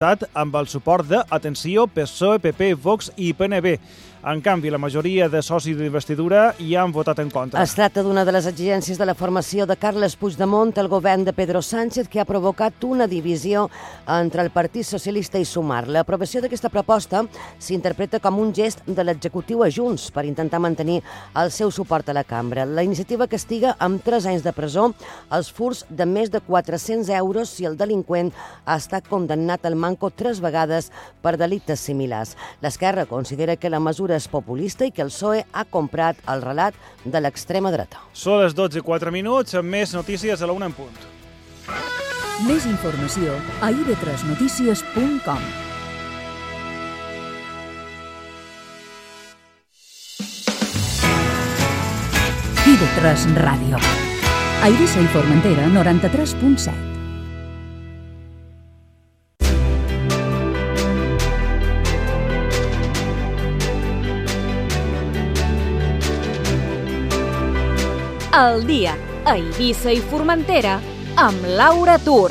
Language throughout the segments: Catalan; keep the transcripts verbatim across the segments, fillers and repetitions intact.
amb el suport de, atenció, P S O E, P P, Vox i P N B. En canvi, la majoria de socis d'investidura hi han votat en contra. Es tracta d'una de les exigències de la formació de Carles Puigdemont al govern de Pedro Sánchez, que ha provocat una divisió entre el Partit Socialista i Sumar. L'aprovació d'aquesta proposta s'interpreta com un gest de l'executiu a Junts per intentar mantenir el seu suport a la cambra. La iniciativa castiga amb tres anys de presó els furts de més de quatre-cents euros si el delinqüent ha estat condemnat al manco tres vegades per delictes similars. L'Esquerra considera que la mesura és populista i que el P S O E ha comprat el relat de l'extrema dreta. Són les dotze i quatre minuts, amb més notícies a la una en punt. Més informació a i ve tres notícies punt com. i ve tres Ràdio. A Eivissa i Formentera, noranta-tres punt set. El dia a Eivissa i Formentera amb Laura Tur.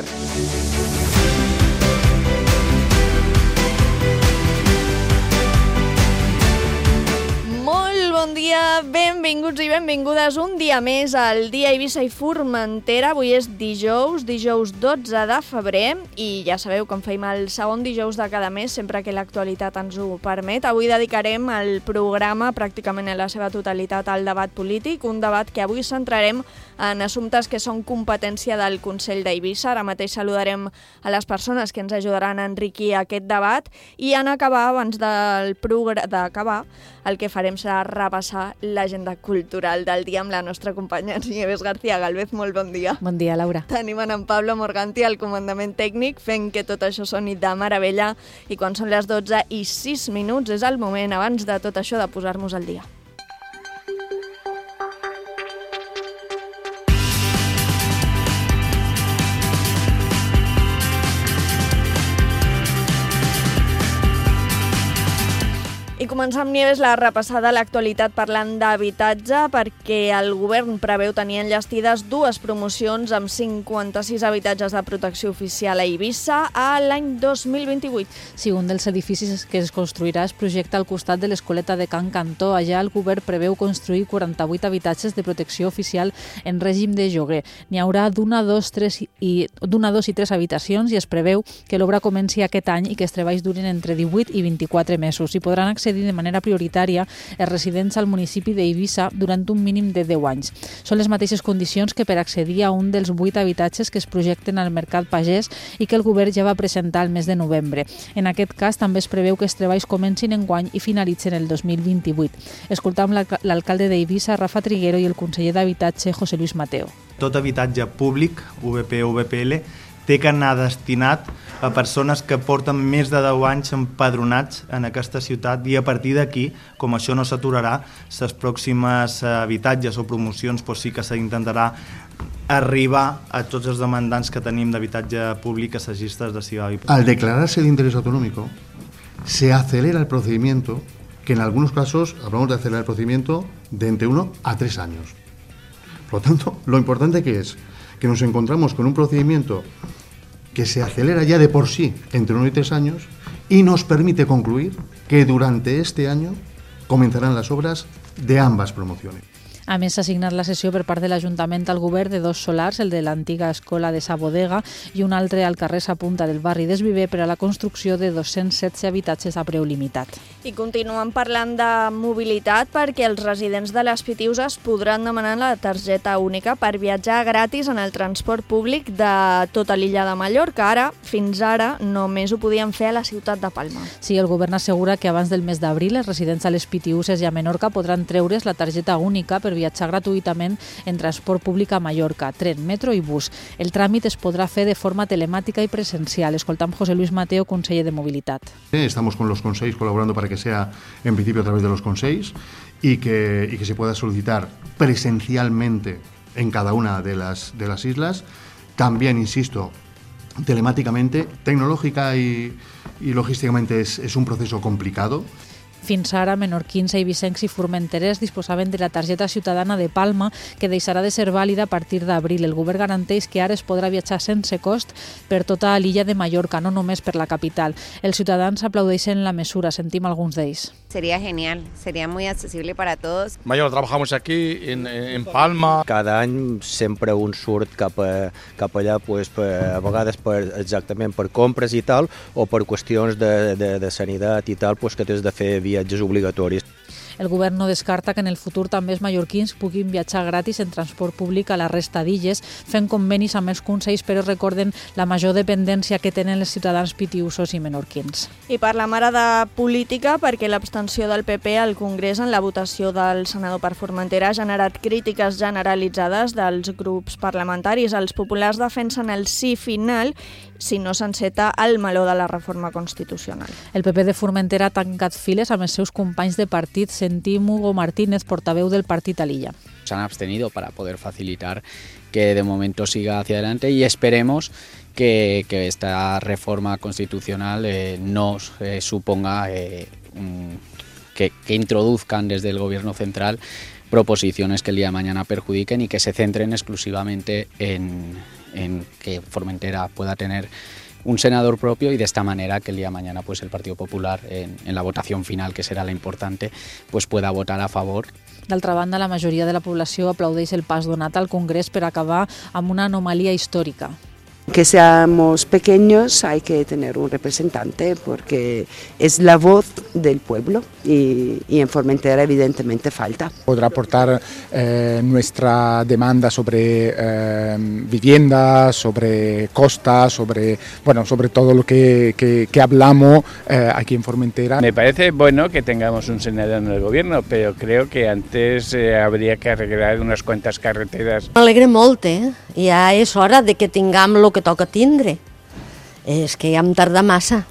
Molt bon dia, benvinguts i benvingudes un dia més al dia Eivissa i Formentera. Avui és dijous, dijous dotze de febrer i ja sabeu, com feim el segon dijous de cada mes, sempre que l'actualitat ens ho permet. Avui dedicarem el programa pràcticament en la seva totalitat al debat polític, un debat que avui centrarem en assumptes que són competència del Consell d'Eivissa. Ara mateix saludarem a les persones que ens ajudaran a enriquir aquest debat i en acabar, abans del progr- d'acabar, el que farem serà repassar l'agenda cultural del dia amb la nostra companya Nieves García Galvez. Molt bon dia. Bon dia, Laura. Tenim en Pablo Morganti al comandament tècnic fent que tot això soni de meravella i quan són les dotze i sis minuts és el moment, abans de tot això, de posar-nos al dia. I començar amb Nieves la repassada a l'actualitat parlant d'habitatge, perquè el govern preveu tenir enllestides dues promocions amb cinquanta-sis habitatges de protecció oficial a Eivissa a l'any dos mil vint-i-vuit. Sí, un dels edificis que es construirà es projecta al costat de l'Escoleta de Can Cantó. Allà el govern preveu construir quaranta-vuit habitatges de protecció oficial en règim de lloguer. N'hi haurà d'una, dos, tres i, d'una, dos i tres habitacions i es preveu que l'obra comenci aquest any i que els treballs durin entre divuit i vint-i-quatre mesos. Hi podran accedir de manera prioritària els residents al municipi d'Eivissa durant un mínim de deu anys. Són les mateixes condicions que per accedir a un dels vuit habitatges que es projecten al Mercat Pagès i que el govern ja va presentar el mes de novembre. En aquest cas també es preveu que els treballs comencin enguany i finalitzen el dos mil vint-i-vuit. Escoltam l'alcalde d'Eivissa, Rafa Triguero, i el conseller d'Habitatge, José Luis Mateo. Tot habitatge públic, V P o V P L, té que anar destinat a persones que porten més de deu anys empadronats en aquesta ciutat i a partir d'aquí, com això no s'aturarà, les pròximes habitatges o promocions doncs sí que s'intentarà arribar a tots els demandants que tenim d'habitatge públic a les llistes de Ciudad. Al declararse el interés autonómico, se acelera el procedimiento, que en algunos casos hablamos de acelerar el procedimiento de entre uno a tres años. Por lo tanto, lo importante que es que nos encontramos con un procedimiento que se acelera ya de por sí entre uno y tres años y nos permite concluir que durante este año comenzarán las obras de ambas promociones. A més, s'ha assignat la cessió per part de l'Ajuntament al govern de dos solars, el de l'antiga escola de Sa Bodega i un altre al carrer Sa Punta del barri d'Esviver, per a la construcció de dos-cents setze habitatges a preu limitat. I continuem parlant de mobilitat perquè els residents de les Pitiuses podran demanar la targeta única per viatjar gratis en el transport públic de tota l'illa de Mallorca. Ara, fins ara, només ho podien fer a la ciutat de Palma. Sí, el govern assegura que abans del mes d'abril els residents a les Pitiuses i a Menorca podran treure's la targeta única per viatjar gratuïtament en transport públic a Mallorca, tren, metro i bus. El tràmit es podrà fer de forma telemàtica i presencial. Escoltam José Luis Mateo, conseller de Mobilitat. Estamos con los consells colaborando para que sea en principio a través de los consells y que, y que se pueda solicitar presencialmente en cada una de las, de las islas. También, insisto, telemáticamente, tecnológica y, y logísticamente es, es un proceso complicado, Fins ara, menorquins, eivissencs i formenterers disposaven de la targeta ciutadana de Palma, que deixarà de ser vàlida a partir d'abril. El govern garanteix que ara es podrà viatjar sense cost per tota l'illa de Mallorca, no només per la capital. Els ciutadans aplaudeixen la mesura, sentim alguns d'ells. Sería genial, sería muy accesible para todos. Mayor, trabajamos aquí en, en Palma. Cada any sempre un surt cap, a, cap allà, pues, per, a vegades per, exactament per compres i tal, o per qüestions de, de, de sanitat i tal, pues, que tens de fer viatges obligatoris. El govern no descarta que en el futur també els mallorquins puguin viatjar gratis en transport públic a la resta d'illes, fent convenis amb els consells, però recorden la major dependència que tenen els ciutadans pitiusos i menorquins. I parlem ara de política, perquè l'abstenció del P P al Congrés en la votació del senador per Formentera ha generat crítiques generalitzades dels grups parlamentaris. Els populars defensen el sí final si no s'enceta el meló de la reforma constitucional. El P P de Formentera ha tancat files amb els seus companys de partit. Sentim Hugo Martínez, portaveu del partit a l'illa. Se han abstenido para poder facilitar que de momento siga hacia adelante y esperemos que, que esta reforma constitucional eh, no eh, suponga eh, un, que, que introduzcan desde el gobierno central proposiciones que el día de mañana perjudiquen y que se centren exclusivamente en, en que Formentera pueda tener un senador propio y de esta manera que el día de mañana pues el Partido Popular en, en la votación final, que será la importante, pues pueda votar a favor. D'altra banda, la majoria de la població aplaudeix el pas donat al Congrés per acabar amb una anomalia històrica. Que seamos pequeños hay que tener un representante porque es la voz del pueblo y, y en Formentera evidentemente falta. Podrá aportar eh, nuestra demanda sobre eh, vivienda, sobre costas, sobre, bueno, sobre todo lo que, que, que hablamos eh, aquí en Formentera. Me parece bueno que tengamos un senador en el gobierno, pero creo que antes eh, habría que arreglar unas cuantas carreteras. M'alegra molt, eh? Ja és hora de que tinguem el que toca tindre. És que ja em tarda massa.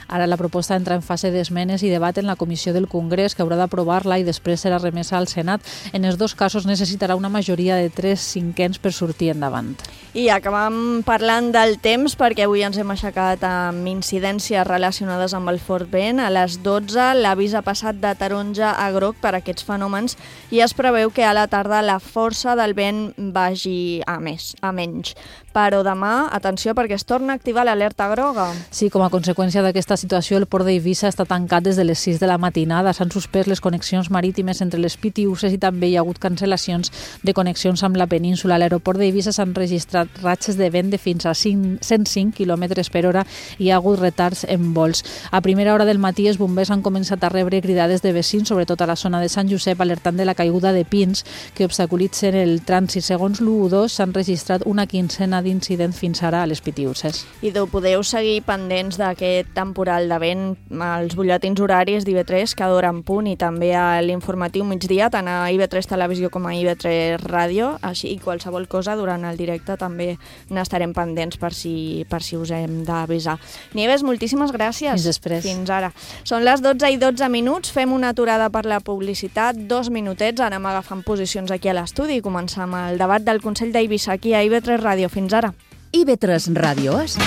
Ara la proposta entra en fase d'esmenes i debat en la Comissió del Congrés, que haurà d'aprovar-la i després serà remesa al Senat. En els dos casos necessitarà una majoria de tres cinquens per sortir endavant. I acabam parlant del temps, perquè avui ens hem aixecat amb incidències relacionades amb el fort vent. A les dotze l'avís ha passat de taronja a groc per aquests fenòmens i es preveu que a la tarda la força del vent vagi a més, a menys. Però demà, atenció, perquè es torna a activar l'alerta groga. Sí, com a conseqüència d'aquesta situació, el port d'Eivissa està tancat des de les sis de la matinada. S'han suspès les connexions marítimes entre les Pitiüses i també hi ha hagut cancel·lacions de connexions amb la península. A l'aeroport d'Eivissa s'han registrat ratxes de vent de fins a cent cinc quilòmetres per hora i hi ha hagut retards en vols. A primera hora del matí, els bombers han començat a rebre cridades de veïns, sobretot a la zona de Sant Josep, alertant de la caiguda de pins que obstaculitzen el trànsit. Segons l'U dos, s'han registrat una quincena d'incidents fins ara a les Pitiüses. I podeu seguir pendents d'aquest temporal de vent als butlletins horaris d'I V tres cada hora en punt i també a l'informatiu migdia, tant a I V tres Televisió com a I V tres Ràdio, així i qualsevol cosa durant el directe també n'estarem pendents per si, per si us hem d'avisar. Nieves, moltíssimes gràcies. Fins després. Fins ara. Són les dotze i dotze minuts, fem una aturada per la publicitat, dos minutets, anem agafant posicions aquí a l'estudi i començam el debat del Consell d'Eivissa aquí a I V tres Ràdio. Fins ara. I V tres Ràdio és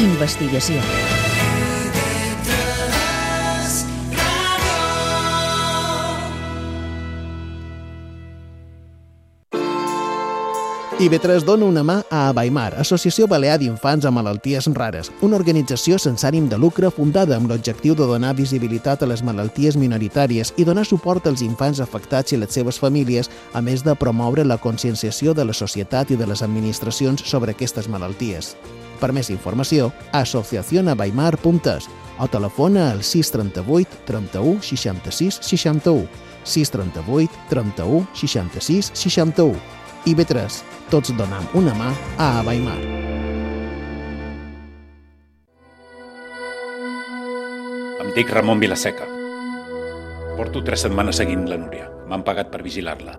investigació. I V tres dona una mà a Abaimar, Associació Balear d'Infants amb Malalties Rares, una organització sense ànim de lucre fundada amb l'objectiu de donar visibilitat a les malalties minoritàries i donar suport als infants afectats i les seves famílies, a més de promoure la conscienciació de la societat i de les administracions sobre aquestes malalties. Per més informació, asociación abaimar punt es o telefona al sis trenta-vuit trenta-u seixanta-sis seixanta-u, sis trenta-vuit trenta-u seixanta-sis seixanta-u. I V tres, tots donam una mà a Abaimar. Em dic Ramon Vilaseca. Porto tres setmanes seguint la Núria. M'han pagat per vigilar-la.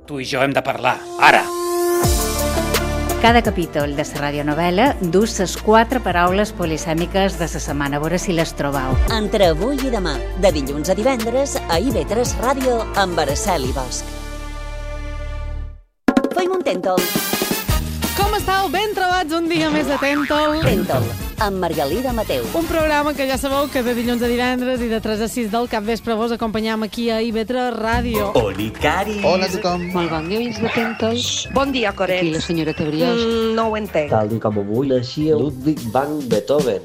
Tu i jo hem de parlar, ara! Cada capítol de la radionovel·la dus les quatre paraules polisèmiques de la setmana. A veure si les trobau. Entre avui i demà, de dilluns a divendres, a I V tres Ràdio amb Araceli Bosch. Feim un Tentol. Com estàu? Ben trobats un dia més de Tentol. Tentol. amb Margalida Mateu. Un programa que ja sabeu que de dilluns a divendres i de tres a sis del capvespre vos acompanyam aquí a I V tres Ràdio. Oli, Cari. Hola a tothom. Molt bon dia, oients de Pentos. Bon dia, Coret. Aquí la senyora Tebriós. Mm, no ho entenc. Tal com avui naixia Ludwig van Beethoven.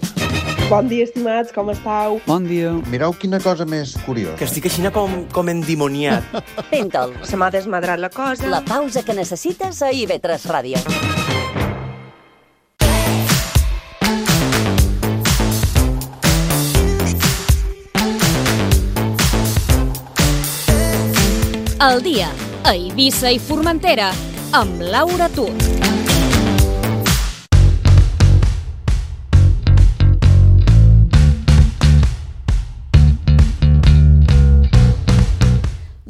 Bon dia, estimats, com estàu? Bon dia. Mireu quina cosa més curiosa. Que estic així com, com endimoniat. Pentol. Se m'ha desmadrat la cosa. La pausa que necessites a I V tres Ràdio. El dia a Eivissa i Formentera amb Laura Tut.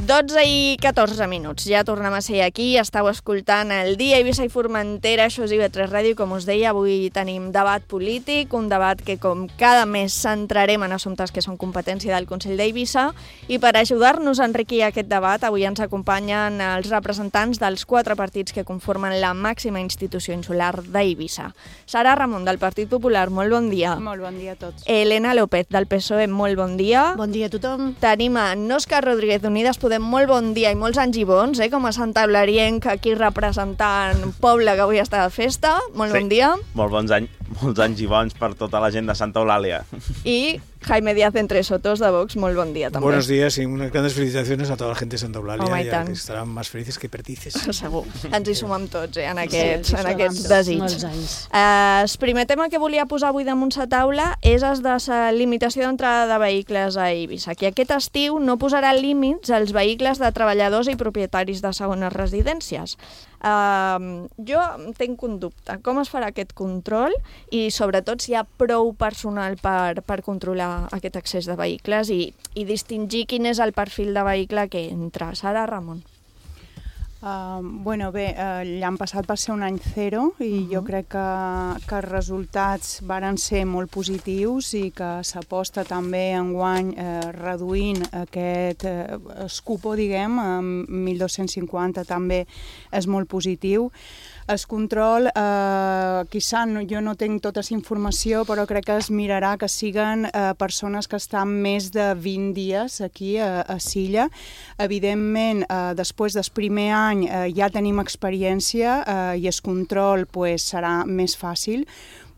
dotze i catorze minuts. Ja tornem a ser aquí. Estàu escoltant el dia Eivissa i Formentera. Això és I V tres Ràdio. Com us deia, avui tenim debat polític, un debat que com cada mes centrarem en assumptes que són competència del Consell d'Eivissa, i per ajudar-nos a enriquir aquest debat avui ens acompanyen els representants dels quatre partits que conformen la màxima institució insular d'Eivissa. Sara Ramon, del Partit Popular, molt bon dia. Molt bon dia a tots. Elena López, del P S O E, molt bon dia. Bon dia a tothom. Tenim a Òscar Rodríguez, d'Unides Podem, molt bon dia i molts anys i bons, eh? Com a Santa Eularienc, aquí representant un poble que avui està de festa. Molt sí. bon dia. Molt bons anys, molts anys i bons per tota la gent de Santa Eulàlia. I Jaime Díaz Entre Sotos, de Vox, molt bon dia també. Buenos días y unas grandes felicitaciones a toda la gente de Santa Eulàlia, Home, ja que estaran més felices que perdices. Segur. Ens hi sumem tots, eh, en aquests, sí, en aquests desig. Uh, el primer tema que volia posar avui damunt la taula és el de la limitació d'entrada de vehicles a Eivissa, que aquest estiu no posarà límits als vehicles de treballadors i propietaris de segones residències. Uh, jo tinc un dubte. Com es farà aquest control i, sobretot, si hi ha prou personal per, per controlar aquest accés de vehicles i, i distingir quin és el perfil de vehicle que entra. Sara Ramon. Uh, bueno, bé, uh, l'any passat va ser un any zero i uh-huh. jo crec que, que els resultats varen ser molt positius i que s'aposta també enguany eh, reduint aquest eh, escupo, diguem, amb mil dos-cents cinquanta també és molt positiu. El control, eh, quizà no, jo no tinc tota la informació, però crec que es mirarà que siguen eh, persones que estan més de vint dies aquí a, a Silla. Evidentment, eh, després del primer any eh, ja tenim experiència eh, i el control pues, serà més fàcil,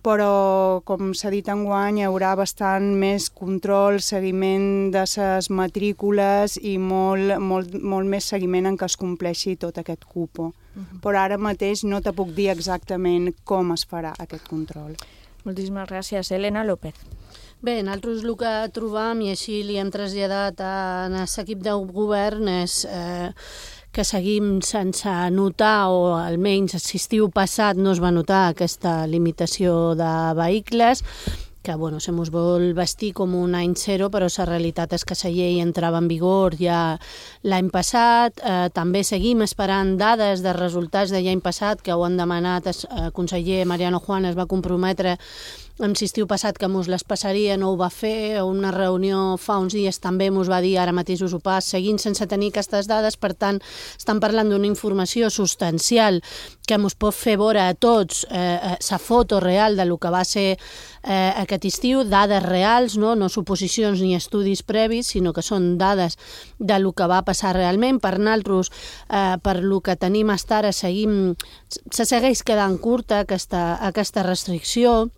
però, com s'ha dit enguany, hi haurà bastant més control, seguiment de les matrícules i molt, molt, molt més seguiment en què es compleixi tot aquest cupo. Uh-huh. Però ara mateix no te puc dir exactament com es farà aquest control. Moltíssimes gràcies. Elena López. Bé, nosaltres el que trobam, i així li hem traslladat a l'equip de govern, és eh, que seguim sense notar, o almenys l'estiu passat no es va notar aquesta limitació de vehicles, que bueno, se mos vol vestir com un any zero, però la realitat és que la llei entrava en vigor ja l'any passat. Eh, també seguim esperant dades de resultats de l'any passat, que ho han demanat el conseller Mariano Juan, es va comprometre amb l'estiu passat que mos les passaria, no ho va fer, a una reunió fa uns dies també mos va dir, ara mateix us ho pas, seguint sense tenir aquestes dades, per tant, estan parlant d'una informació substancial que mos pot fer veure a tots la eh, foto real de lo que va ser eh, aquest estiu, dades reals, no? no suposicions ni estudis previs, sinó que són dades de lo que va passar realment. Per nosaltres, eh, per lo que tenim hasta ara, seguim, se segueix quedant curta aquesta, aquesta restricció.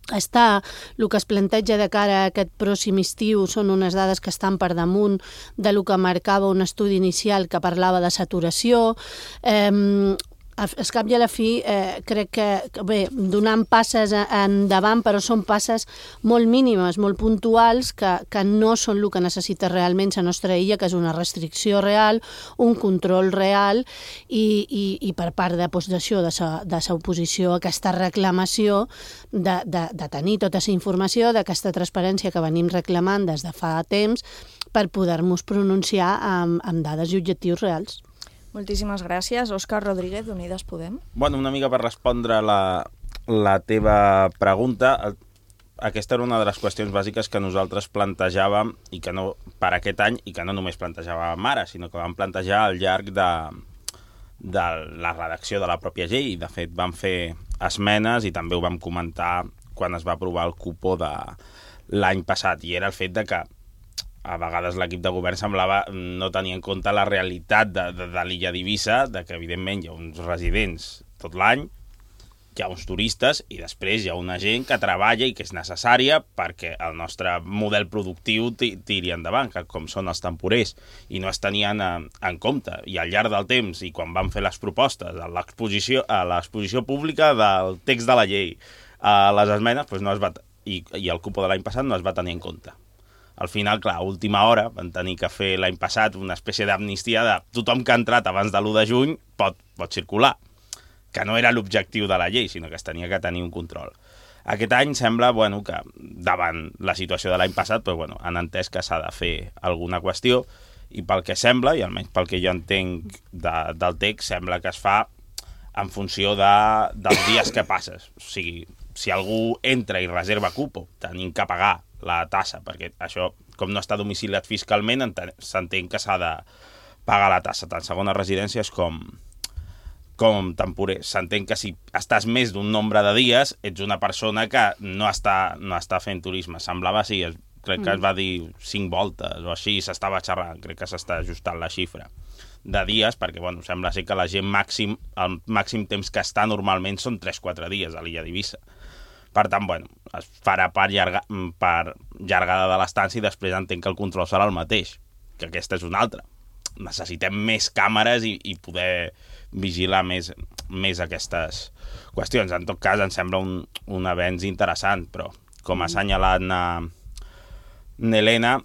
Està, el que es planteja de cara a aquest pròxim estiu són unes dades que estan per damunt de lo que marcava un estudi inicial que parlava de saturació. Eh, al cap i a la fi, eh, crec que, bé, donant passes endavant, però són passes molt mínimes, molt puntuals, que, que no són el que necessita realment la nostra illa, que és una restricció real, un control real, i, i, i per part de possessió de la oposició, aquesta reclamació de, de, de tenir tota la informació, d'aquesta transparència que venim reclamant des de fa temps, per poder-nos pronunciar amb, amb dades i objectius reals. Moltíssimes gràcies. Òscar Rodríguez, d'Unides Podem. Bueno, una mica per respondre la, la teva pregunta, aquesta era una de les qüestions bàsiques que nosaltres plantejàvem i que no per aquest any, i que no només plantejàvem ara, sinó que vam plantejar al llarg de, de la redacció de la pròpia llei. De fet, vam fer esmenes i també ho vam comentar quan es va aprovar el cupó de l'any passat, i era el fet de que a vegades l'equip de govern semblava no tenir en compte la realitat de, de, de l'illa d'Eivissa, de que evidentment hi ha uns residents tot l'any, hi ha uns turistes i després hi ha una gent que treballa i que és necessària perquè el nostre model productiu tiri endavant, que com són els temporers, i no es tenien en compte. I al llarg del temps, i quan van fer les propostes a l'exposició a l'exposició pública del text de la llei, a les esmenes, doncs no es va, i, i el cupó de l'any passat no es va tenir en compte. Al final, clar, a última hora van tenir que fer l'any passat una espècie d'amnistia de tothom que ha entrat abans de l'u de juny pot, pot circular, que no era l'objectiu de la llei, sinó que es tenia que tenir un control. Aquest any sembla bueno, que davant la situació de l'any passat doncs, bueno, han entès que s'ha de fer alguna qüestió i pel que sembla, i almenys pel que jo entenc de, del text, sembla que es fa en funció de, dels dies que passes. O sigui, si algú entra i reserva cupo, tenim que pagar la tassa, perquè això, com no està domiciliat fiscalment, s'entén que s'ha de pagar la tassa, tant segones residències com... com temporer. S'entén que si estàs més d'un nombre de dies, ets una persona que no està, no està fent turisme. Semblava així, crec que es va dir cinc voltes o així, s'estava xerrant, crec que s'està ajustant la xifra de dies, perquè bueno, sembla ser que la gent màxim, el màxim temps que està normalment són tres quatre dies a l'illa d'Eivissa. Per tant, bueno, es farà per, llarga, per llargada de l'estància i després entenc que el control serà el mateix, que aquesta és una altra. Necessitem més càmeres i, i poder vigilar més, més aquestes qüestions. En tot cas, em sembla un, un avenç interessant, però com ha assenyalat n'Helena,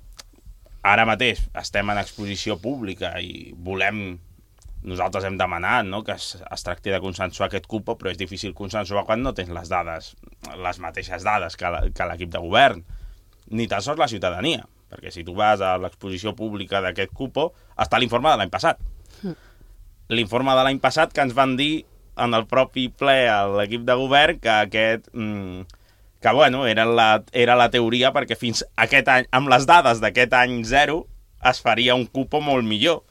ara mateix estem en exposició pública i volem, nosaltres hem demanat no, que es, es tracti de consensuar aquest cupo, però és difícil consensuar quan no tens les dades, les mateixes dades que l'equip de govern, ni tan sols la ciutadania, perquè si tu vas a l'exposició pública d'aquest cupo, està l'informe de l'any passat. L'informe de l'any passat que ens van dir en el propi ple a l'equip de govern que aquest... Mm, que, bueno, era la, era la teoria perquè fins aquest any, amb les dades d'aquest any zero, es faria un cupo molt millor.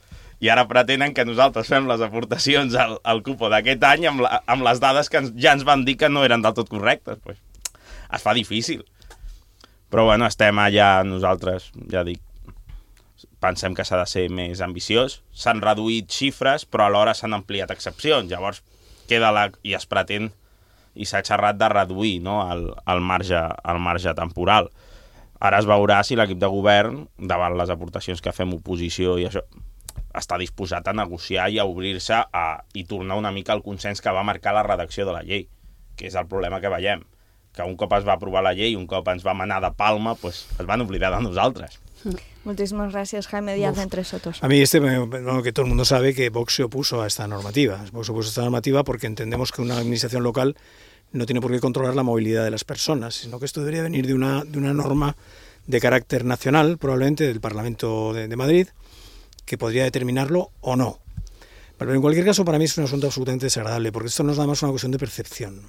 I ara pretenen que nosaltres fem les aportacions al, al cupo d'aquest any amb, la, amb les dades que ens, ja ens van dir que no eren del tot correctes. Pues, es fa difícil. Però, bueno, estem allà nosaltres, ja dic, pensem que s'ha de ser més ambiciós. S'han reduït xifres, però alhora s'han ampliat excepcions. Llavors, queda la, i es pretén, i s'ha xerrat de reduir no, el, el, marge, el marge temporal. Ara es veurà si l'equip de govern, davant les aportacions que fem oposició i això, està disposat a negociar i a obrir-se a, i tornar una mica al consens que va marcar la redacció de la llei, que és el problema que veiem, que un cop es va aprovar la llei, un cop ens va manar de palma, pues, es van oblidar de nosaltres. Muchísimas gracias, Jaime Díaz, de Entre Sotos. A mí este, bueno, que todo el mundo sabe que Vox se opuso a esta normativa. Vox se opuso a esta normativa porque entendemos que una administración local no tiene por qué controlar la movilidad de las personas, sino que esto debería venir de una, de una norma de carácter nacional, probablemente del Parlamento de, de Madrid, que podría determinarlo o no. Pero en cualquier caso, para mí es un asunto absolutamente desagradable, porque esto no es nada más una cuestión de percepción.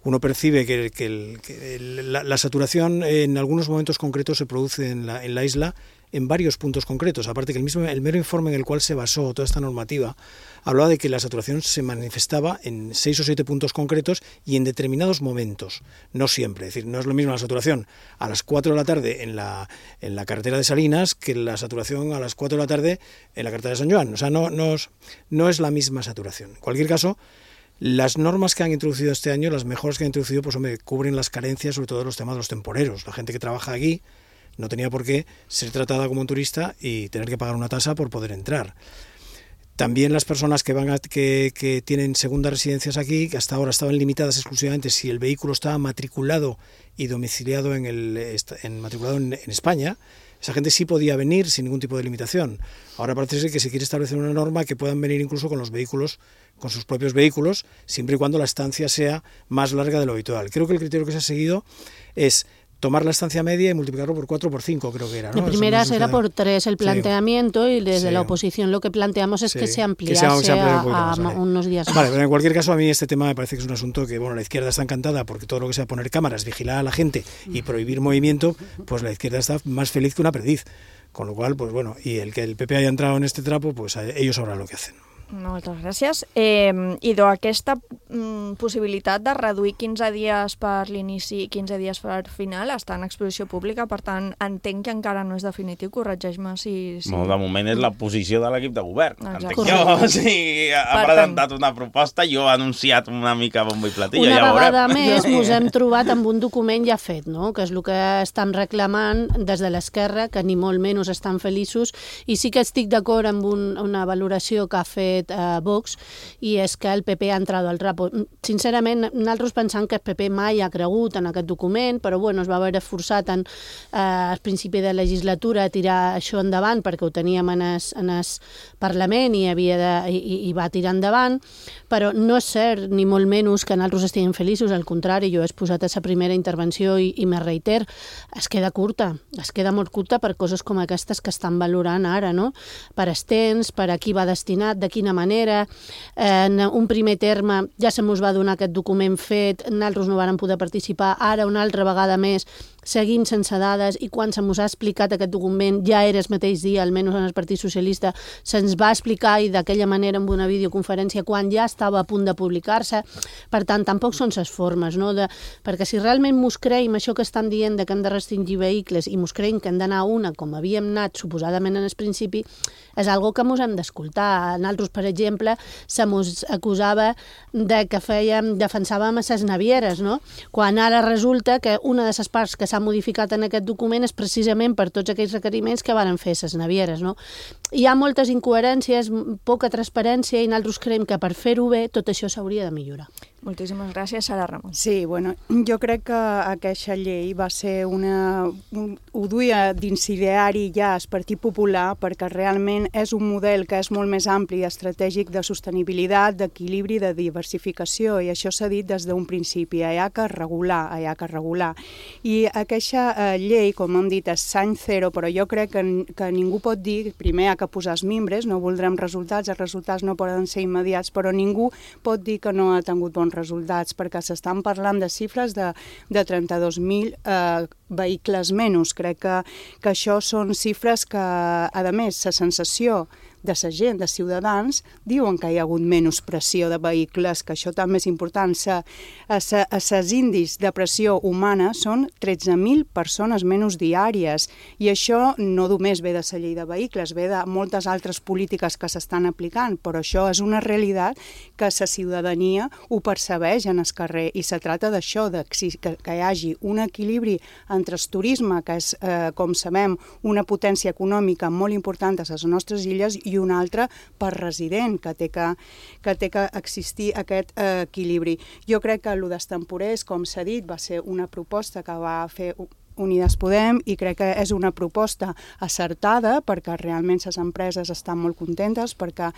Uno percibe que, que, el, que el, la, la saturación en algunos momentos concretos se produce en la, en la isla en varios puntos concretos. Aparte que el, mismo, el mero informe en el cual se basó toda esta normativa hablaba de que la saturación se manifestaba en seis o siete puntos concretos y en determinados momentos, no siempre. Es decir, no es lo mismo la saturación a las cuatro de la tarde en la, en la carretera de Salinas que la saturación a las cuatro de la tarde en la carretera de San Joan. O sea, no, no, es, no es la misma saturación. En cualquier caso, las normas que han introducido este año, las mejoras que han introducido, pues hombre, cubren las carencias, sobre todo los temas de los temporeros. La gente que trabaja aquí no tenía por qué ser tratada como un turista y tener que pagar una tasa por poder entrar. También las personas que van a, que, que tienen segundas residencias aquí, que hasta ahora estaban limitadas exclusivamente si el vehículo estaba matriculado y domiciliado en, el, en, matriculado en, en España, esa gente sí podía venir sin ningún tipo de limitación. Ahora parece ser que se quiere establecer una norma que puedan venir incluso con los vehículos, con sus propios vehículos, siempre y cuando la estancia sea más larga de lo habitual. Creo que el criterio que se ha seguido es tomar la estancia media y multiplicarlo por cuatro o por cinco, creo que era, ¿no? De primeras era por tres el planteamiento, sí. Y desde sí. la oposición lo que planteamos es sí. que se ampliase que se, se a, un a, más, a unos días más. Vale, pero en cualquier caso a mí este tema me parece que es un asunto que, bueno, la izquierda está encantada porque todo lo que sea poner cámaras, vigilar a la gente y prohibir movimiento, pues la izquierda está más feliz que una perdiz. Con lo cual, pues bueno, y el que el P P haya entrado en este trapo, pues ellos sabrán lo que hacen. Moltes gràcies. Eh, Idò, aquesta mm, possibilitat de reduir quinze dies per l'inici i quinze dies per final està en exposició pública, per tant, entenc que encara no és definitiu, corregeix-me si... si... No, de moment és la posició de l'equip de govern. Exacte. Entenc jo, o sigui, ha Per presentat una proposta, jo he anunciat una mica bombo i platillo, Una ja vegada veurem. més ens hem trobat amb un document ja fet, no? Que és el que estan reclamant des de l'esquerra, que ni molt menys estan feliços, i sí que estic d'acord amb un, una valoració que ha fet eh, Vox, i és que el P P ha entrat al trapo. Sincerament, nosaltres pensant que el P P mai ha cregut en aquest document, però bueno, es va haver forçat en, eh, al principi de legislatura a tirar això endavant perquè ho teníem en el, en el Parlament i, havia de, i, i va tirar endavant, però no és cert ni molt menys que nosaltres estiguem feliços, al contrari, jo he exposat a la primera intervenció i, i me reiter, es queda curta, es queda molt curta per coses com aquestes que estan valorant ara, no? Per estens, per a qui va destinat, de quina manera. En un primer terme ja se mos va donar aquest document fet, nosaltres no vàrem poder participar, ara una altra vegada més seguim sense dades, i quan se mos ha explicat aquest document, ja era el mateix dia, almenys en el Partit Socialista, se'ns va explicar i d'aquella manera amb una videoconferència quan ja estava a punt de publicar-se. Per tant, tampoc són les formes, no? De, perquè si realment mos creiem això que estan dient de que hem de restringir vehicles i mos creiem que hem d'anar a una com havíem anat suposadament en el principi, és algo que mos hem d'escoltar. Nosaltres, per exemple, se mos acusava de que fèiem, defensàvem a les navieres, no? Quan ara resulta que una de les parts que s'ha modificat en aquest document és precisament per tots aquells requeriments que varen fer les navieres, no? Hi ha moltes incoherències, poca transparència, i nosaltres creiem que per fer-ho bé tot això s'hauria de millorar. Moltíssimes gràcies, Sara Ramon. Sí, bueno, jo crec que aquesta llei va ser una... Un, ho duia d'incidiari ja el Partit Popular, perquè realment és un model que és molt més ampli i estratègic de sostenibilitat, d'equilibri, de diversificació, i això s'ha dit des d'un principi, hi ha que regular, hi ha que regular. I aquesta eh, llei, com hem dit, és any zero, però jo crec que, que ningú pot dir, primer hi ha que posar els mimbres, no voldrem resultats, els resultats no poden ser immediats, però ningú pot dir que no ha tingut bons resultats, perquè s'estan parlant de xifres de, de trenta-dos mil eh, vehicles menys. Crec que, que això són xifres que, a més, la sensació de la gent, de ciutadans, diuen que hi ha hagut menys pressió de vehicles, que això també és important. Els índices de pressió humana són tretze mil persones menys diàries, i això no només ve de la llei de vehicles, ve de moltes altres polítiques que s'estan aplicant, però això és una realitat que la ciutadania ho percebeix en el carrer, i se tracta d'això, de que, que hi hagi un equilibri entre el turisme, que és, eh, com sabem, una potència econòmica molt important a les nostres illes, i un altre per resident, que té que, que, té que existir aquest eh, equilibri. Jo crec que el dels temporers, com s'ha dit, va ser una proposta que va fer Unides Podem, i crec que és una proposta acertada, perquè realment les empreses estan molt contentes, perquè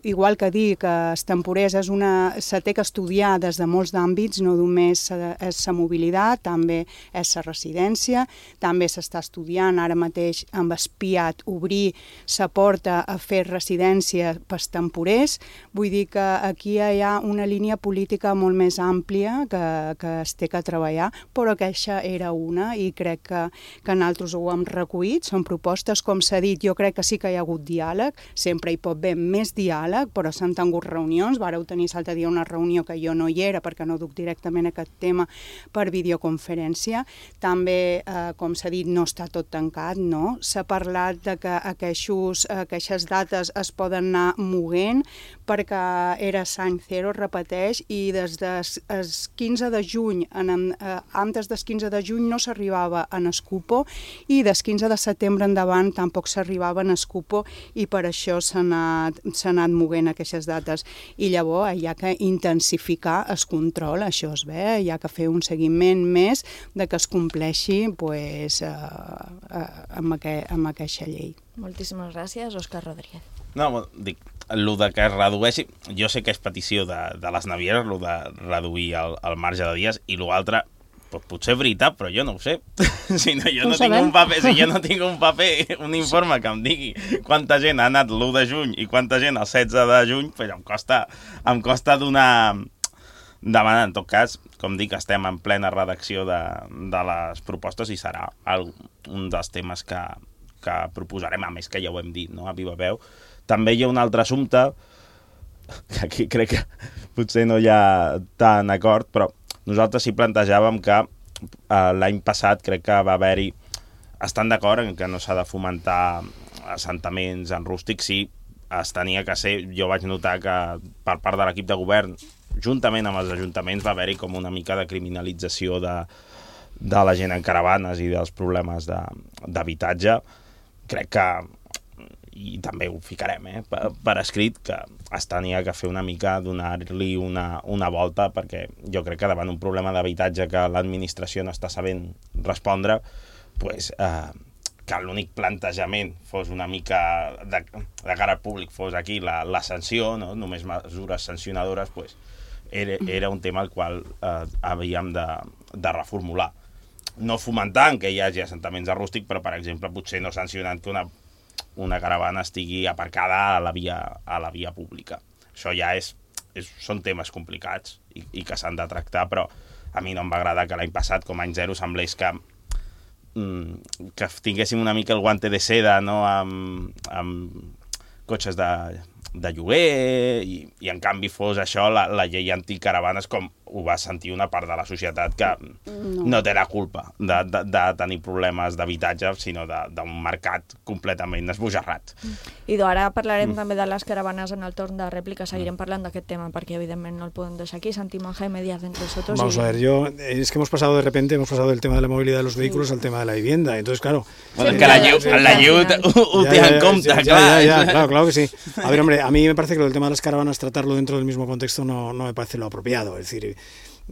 igual que dir que els temporers és una, se té que estudiar des de molts àmbits, no només és la mobilitat, també és la residència, també s'està estudiant ara mateix amb espiat obrir la porta a fer residència pels temporers. Vull dir que aquí hi ha una línia política molt més àmplia que, que es té que treballar, però aquesta era una, i crec que, que nosaltres ho hem recollit. Són propostes, com s'ha dit, jo crec que sí que hi ha hagut diàleg, sempre hi pot haver més diàleg, però s'han tingut reunions. Vareu tenir l'altre dia una reunió que jo no hi era perquè no duc directament aquest tema per videoconferència. També, eh, com s'ha dit, no està tot tancat, no? S'ha parlat de que aquests, aquestes dates es poden anar moguent perquè era l'any zero, repeteix, i des del quinze de juny, en, eh, antes del quinze de juny no s'arribava en el cupo, i des quinze de setembre endavant tampoc s'arribava en el cupo, i per això s'ha anat, s'ha anat moguent aquestes dates. I llavors hi ha que intensificar el control, això es ve, hi ha que fer un seguiment més de que es compleixi pues, eh, eh, amb, aquest, amb aquesta llei. Moltíssimes gràcies, Òscar Rodríguez. No, dic, el de que es redueixi, jo sé que és petició de, de les navieres, el de reduir el, el marge de dies, i l'altre, pues, potser és veritat, però jo no ho sé. Si no, jo no tinc un paper, si jo no tinc un paper, un informe que em digui quanta gent ha anat l'u de juny i quanta gent el setze de juny, pues em costa, em costa donar... demanar. En tot cas, com dic, estem en plena redacció de, de les propostes, i serà el, un dels temes que, que proposarem, a més que ja ho hem dit, no?, a viva veu. També hi ha un altre assumpte que aquí crec que potser no hi ha tant acord, però nosaltres sí plantejàvem que eh, l'any passat crec que va haver-hi, estan d'acord en que no s'ha de fomentar assentaments en rústic, sí, es tenia que ser, jo vaig notar que per part de l'equip de govern, juntament amb els ajuntaments, va haver-hi com una mica de criminalització de, de la gent en caravanes i dels problemes d'habitatge. Crec que, i també ho ficarem eh, per, per escrit, que es tenia que fer una mica, donar-li una, una volta, perquè jo crec que davant un problema d'habitatge que l'administració no està sabent respondre, pues, eh, que l'únic plantejament fos una mica de, de cara al públic, fos aquí la, la sanció, no? Només mesures sancionadores, pues, era, era un tema al qual eh, havíem de, de reformular. No fomentant que hi hagi assentaments de rústic, però, per exemple, potser no sancionant que una, una caravana estigui aparcada a la via, a la via pública. Això ja és, és, són temes complicats i, i que s'han de tractar, però a mi no em va agradar que l'any passat, com a any zero, semblés que que tinguéssim una mica el guante de seda, no?, amb, amb cotxes de, de lloguer i, i en canvi fos això la, la llei anticaravanes, com ho va sentir una part de la societat que no, no té la culpa de, de, de tenir problemes d'habitatge, sinó d'un mercat completament esbojarrat. I ara parlarem mm. també de les caravanes en el torn de rèplica, seguirem parlant d'aquest tema perquè evidentemente no el podem deixar aquí. Santiago Jaime Díaz entre nosotros. Vamos y... a ver, yo, es que hemos pasado de repente, hemos pasado del tema de la movilidad de los vehículos sí. al tema de la vivienda, entonces claro... Bueno, sí, que la Llud ho té en compte, ya, ya, ya, claro, claro que sí. A ver, hombre, a mí me parece que lo del tema de las caravanas, tratarlo dentro del mismo contexto no, no me parece lo apropiado, es decir...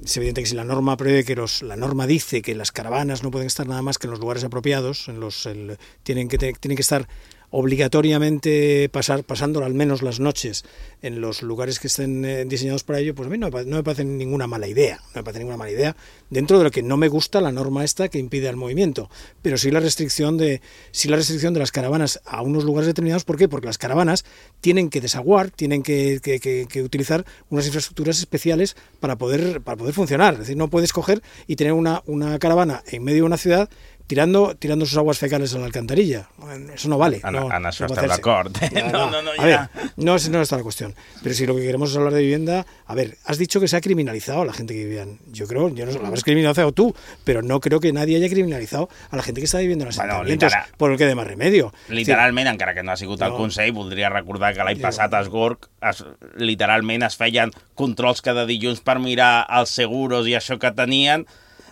Es evidente que si la norma prevé que los, la norma dice que las caravanas no pueden estar nada más que en los lugares apropiados, en los el, tienen que tienen que estar obligatoriamente pasar pasándolo al menos las noches en los lugares que estén eh, diseñados para ello, pues a mí no me, no me parece ninguna mala idea, no me parece ninguna mala idea dentro de lo que no me gusta la norma esta que impide el movimiento, pero sí la restricción de sí la restricción de las caravanas a unos lugares determinados. ¿Por qué? Porque las caravanas tienen que desaguar, tienen que, que, que, que utilizar unas infraestructuras especiales para poder para poder funcionar. Es decir, no puedes coger y tener una, una caravana en medio de una ciudad tirando tirando sus aguas fecales a la alcantarilla. Eso no vale. En, no, en això no estem d'acord. No, no, no, a ver, no, no está la cuestión. Pero si lo que queremos es hablar de vivienda, a ver, has dicho que se ha criminalizado a la gente que vivían. Yo creo, yo no sé, lo habrás criminalizado tú, pero no creo que nadie haya criminalizado a la gente que está viviendo en asentamientos, bueno, por el que de más remedio. Literalment, sí. Encara que no ha sigut el no. Consell, voldria recordar que l'any passat a Esgorg es, literalment es feien controls cada dilluns per mirar els seguros i això que tenien,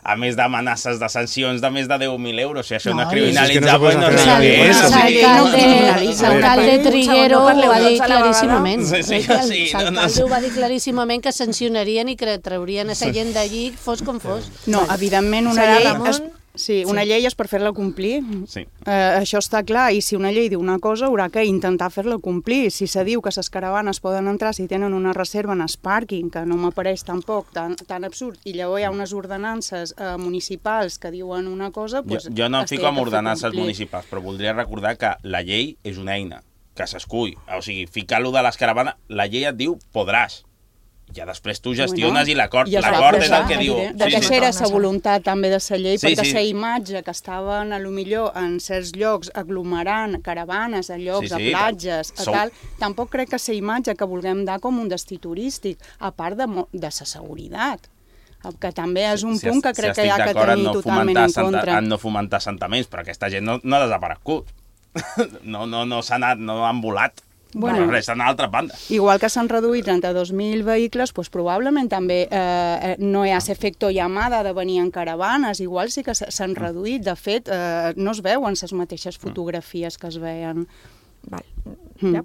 a més d'amenaces de sancions de més de deu mil euros. Si això no, no és criminalitzable, no sé què és. L'alcalde Triguero ho va dir claríssimament. L'alcalde ho va dir claríssimament que sancionarien i que traurien a la gent d'allí, fos com fos. No, evidentment una llei... Sí, una sí. llei és per fer-la complir. Sí. Eh, això està clar, i si una llei diu una cosa, haurà que intentar fer-la complir. Si se diu que les caravanes poden entrar si tenen una reserva en el pàrquing, que no m'apareix tampoc tan, tan absurd, i llavors hi ha unes ordenances eh, municipals que diuen una cosa... Pues, jo, jo no em fico amb ordenances municipals, però voldria recordar que la llei és una eina que s'escull. O sigui, ficar-lo de les caravanes, la llei et diu podràs. Ja després tu gestiones bueno, i l'acord l'acord és el que diu. De que era la voluntat també de la llei, sí, perquè la sí. imatge que estaven a lo millor en certs llocs aglomerant caravanes a llocs, sí, sí, a platges, a tal, tampoc crec que la imatge que vulguem dar com un destí turístic, a part de, de la seguretat, que també és un si, punt que crec si que hi ha que tenir no totalment en contra. Han no fomentar assentaments, però aquesta gent no, no ha desaparegut. No, no, no s'ha anat, no han volat. Bueno, res, en altra banda. Igual que s'han reduït trenta-dos mil vehicles, doncs probablement també eh, no hi ha efecte llamada de venir en caravanes, igual sí que s'han reduït. De fet, eh, no es veuen les mateixes fotografies que es veien. Val. Ja.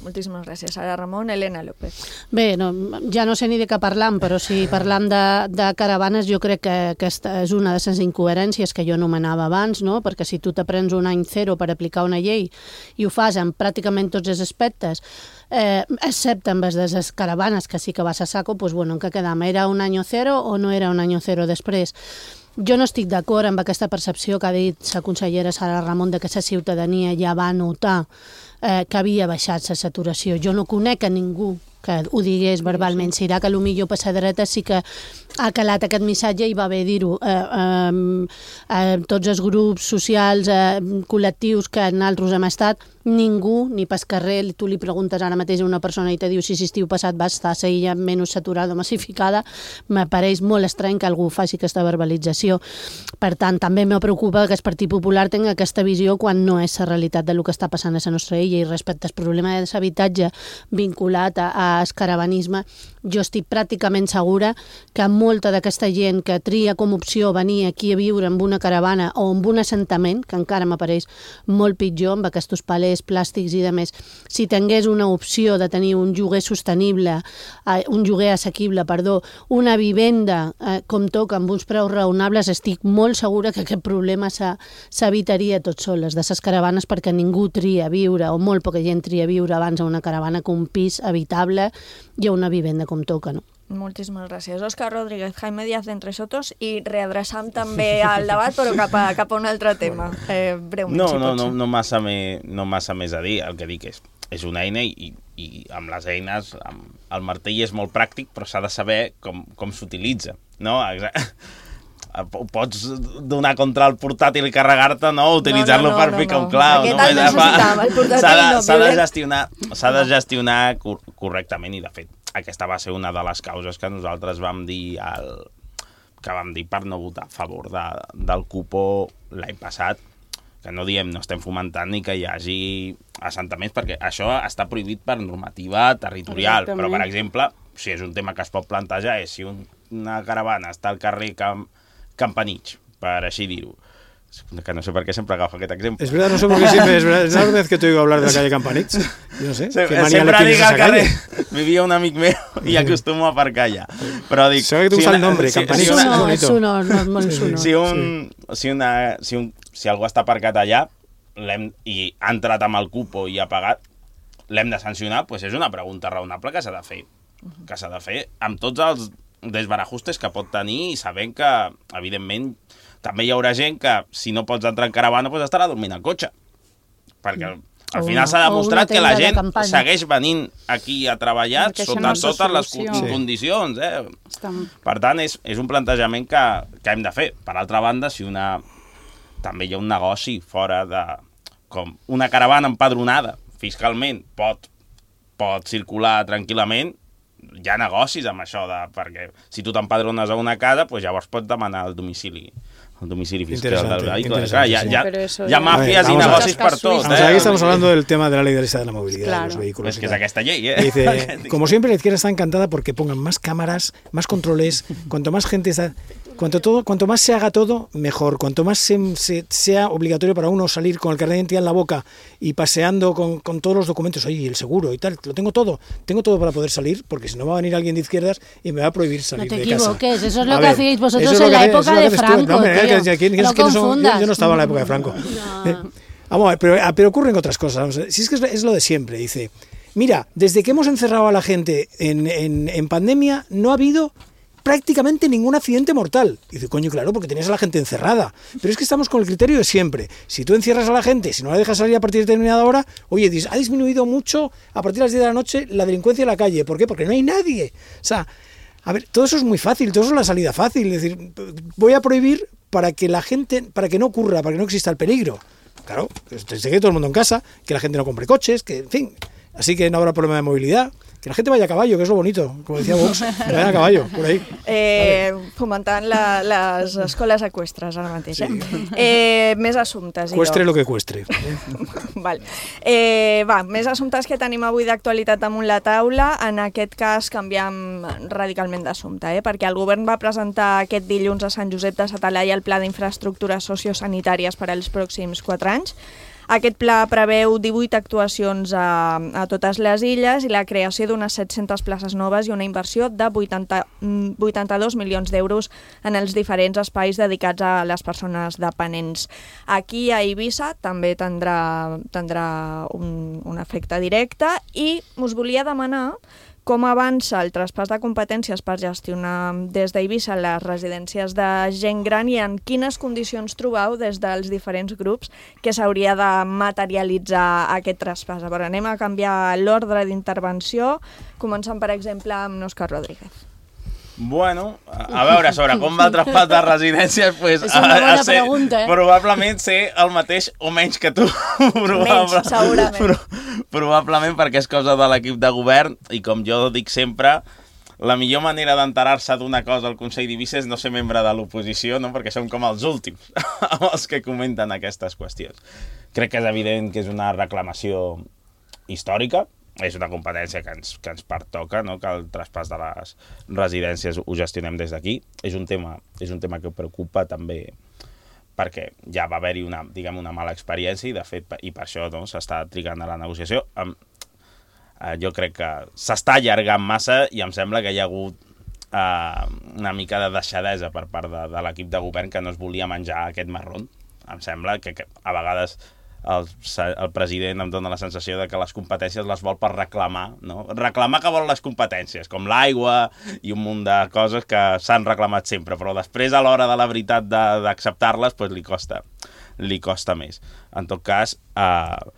Moltíssimes gràcies. Ara Ramon, Elena López. Bé, no, ja no sé ni de què parlam, però si parlam de, de caravanes, jo crec que aquesta és una de les incoherències que jo anomenava abans, no? Perquè si tu t'aprens un any zero per aplicar una llei i ho fas en pràcticament tots els aspectes, eh, excepte amb les de les caravanes, que sí que vas a saco, doncs bueno, en què quedam? Era un any zero o no era un any zero després? Jo no estic d'acord amb aquesta percepció que ha dit la consellera Sara Ramon de que la ciutadania ja va notar eh, que havia baixat la saturació. Jo no conec a ningú que ho digués verbalment. Serà que potser per la dreta sí que ha calat aquest missatge i va bé dir-ho. Eh, eh, eh, tots els grups socials, eh, col·lectius que nosaltres hem estat, ningú, ni pas carrer, tu li preguntes ara mateix a una persona i te diu si l'estiu passat va estar la illa menys saturada o massificada, m'apareix molt estrany que algú faci aquesta verbalització. Per tant, també me preocupa que el Partit Popular tingui aquesta visió quan no és la realitat del que està passant a la nostra illa, i respecte al problema de l'habitatge vinculat al caravanisme, jo estic pràcticament segura que molta d'aquesta gent que tria com opció venir aquí a viure amb una caravana o amb un assentament, que encara m'apareix molt pitjor amb aquests palers plàstics i de més, si tingués una opció de tenir un lloguer sostenible, eh, un lloguer assequible, perdó, una vivenda eh, com toca amb uns preus raonables, estic molt segura que aquest problema s'evitaria tot sol, les de les caravanes, perquè ningú tria viure, o molt poca gent tria viure abans a una caravana que un pis habitable i a una vivenda com toca, no? Moltíssimes gràcies. Òscar Rodríguez, Jaime Díaz d'Entre Sotos, i readreçam també al debat, però cap a, cap a un altre tema. Eh, breument, no, si no, pots. no, no, massa me, no massa més a dir. El que dic és, és una eina i, i amb les eines, amb, el martell és molt pràctic, però s'ha de saber com, com s'utilitza, no? Pots donar contra el portàtil i carregar-te, no? Utilitzar-lo no, no, no, per picar no, no. un clau. Aquest no? el necessitàvem, el portàtil no. S'ha de, de gestionar, s'ha de gestionar cor correctament, i de fet aquesta va ser una de les causes que nosaltres vam dir al, que vam dir per no votar a favor de, del cupo l'any passat, que no diem, no estem fomentant ni que hi hagi assentaments, perquè això està prohibit per normativa territorial. Exactament. Però, per exemple, si és un tema que es pot plantejar, és si un, una caravana està al carrer Camp, Campanich, per així dir-ho, que no sé per qué siempre agafo aquest exemple. Es verdad, no sé por qué siempre, es verdad, es la primera vez que te oigo hablar de la calle Campanich. Yo no sé, Se, qué manía le sempre tienes dic a al esa carrer, calle. vivia un amic meu i acostumo a aparcar allà. Però dic... Sabe que te gusta si el nombre, si, Campanich. Si una, no, és sonor, no és molt sonor. Si, un, si, una, si, un, si algú està aparcat allà i ha entrat amb el cupo i ha pagat, l'hem de sancionar, doncs és una pregunta raonable que s'ha de fer. Que s'ha de fer amb tots els desbarajustes que pot tenir i sabent que, evidentment, també hi haurà gent que, si no pots entrar en caravana, doncs estarà dormint al cotxe. Perquè al final s'ha demostrat que la gent segueix venint aquí a treballar sota no totes les sí. condicions. Eh? Estem... Per tant, és, és un plantejament que, que hem de fer. Per altra banda, si una... també hi ha un negoci fora de... com una caravana empadronada fiscalment pot, pot circular tranquil·lament, hi ha negocis amb això, de, perquè si tu t'empadrones a una casa, doncs llavors pots demanar el domicili el domicili fiscal del vehicle. Claro, ya, ya, sí, ya mafias y negocios por todos. ¿eh? Aquí estamos hablando del tema de la ley de la movilidad claro. de los vehículos. Es que saca esta ley, ¿eh? Dice, como siempre, la izquierda está encantada porque pongan más cámaras, más controles, cuanto más gente está... Cuanto, todo, cuanto más se haga todo, mejor. Cuanto más se, se, sea obligatorio para uno salir con el carnet de identidad en la boca y paseando con, con todos los documentos, oye, el seguro y tal, lo tengo todo. Tengo todo para poder salir, porque si no va a venir alguien de izquierdas y me va a prohibir salir de casa. No te equivoques, eso es lo a que ver, hacíais vosotros en la que, época de Franco. No, hombre, tío, que, que, que, no que son, yo, yo no estaba en la época de Franco. No. Eh, vamos a ver, pero, pero ocurren otras cosas. Vamos a ver, si es que es, es lo de siempre, dice, mira, desde que hemos encerrado a la gente en, en, en pandemia, no ha habido prácticamente ningún accidente mortal. Y dice, coño, claro, porque tenías a la gente encerrada. Pero es que estamos con el criterio de siempre. Si tú encierras a la gente, si no la dejas salir a partir de determinada hora, oye, ha disminuido mucho a partir de las diez de la noche la delincuencia en la calle. ¿Por qué? Porque no hay nadie. O sea, a ver, todo eso es muy fácil, todo eso es la salida fácil. Es decir, voy a prohibir para que la gente, para que no ocurra, para que no exista el peligro. Claro, se quede todo el mundo en casa, que la gente no compre coches, que, en fin, así que no habrá problema de movilidad. Que la gente vaya a caballo, que es lo bonito, como decía Vox, que vayan a caballo, por ahí. Eh, fomentant la, les escoles eqüestres ara mateix. Eh? Sí. Eh, més assumptes. Cuestre lo que cuestre. Val. Eh, va, més assumptes que tenim avui d'actualitat damunt la taula. En aquest cas canviem radicalment d'assumpte, eh? Perquè el govern va presentar aquest dilluns a Sant Josep de sa Talaia el Pla d'Infraestructures Sociosanitàries per als pròxims quatre anys. Aquest pla preveu divuit actuacions a, a totes les illes i la creació d'unes set-centes places noves i una inversió de vuitanta, vuitanta-dos milions d'euros en els diferents espais dedicats a les persones dependents. Aquí a Eivissa també tindrà, tindrà un, un efecte directe i us volia demanar com avança el traspàs de competències per gestionar des d'Eivissa les residències de gent gran i en quines condicions trobeu des dels diferents grups que s'hauria de materialitzar aquest traspàs. A veure, anem a canviar l'ordre d'intervenció, començant, per exemple, amb Òscar Rodríguez. Bueno, a veure, sobre com va el traspàs de residències, pues, és una bona ser, pregunta, eh? Probablement ser el mateix o menys que tu. Menys, segurament. Pro, probablement perquè és cosa de l'equip de govern i com jo dic sempre, la millor manera d'enterar-se d'una cosa al Consell d'Eivissa és no ser membre de l'oposició, no? Perquè som com els últims els que comenten aquestes qüestions. Crec que és evident que és una reclamació històrica, és una competència que ens, que ens pertoca, no? Que el traspàs de les residències ho gestionem des d'aquí. És un tema, és un tema que preocupa també perquè ja va haver-hi una, diguem, una mala experiència i, de fet, i per això no, s'està trigant a la negociació. Um, uh, jo crec que s'està allargant massa i em sembla que hi ha hagut uh, una mica de deixadesa per part de, de l'equip de govern que no es volia menjar aquest marrón. Em sembla que, que a vegades El, el president em dona la sensació de que les competències les vol per reclamar, no? Reclamar que vol les competències, com l'aigua i un munt de coses que s'han reclamat sempre, però després a l'hora de la veritat d'acceptar-les pues, li costa li costa més. En tot cas, eh,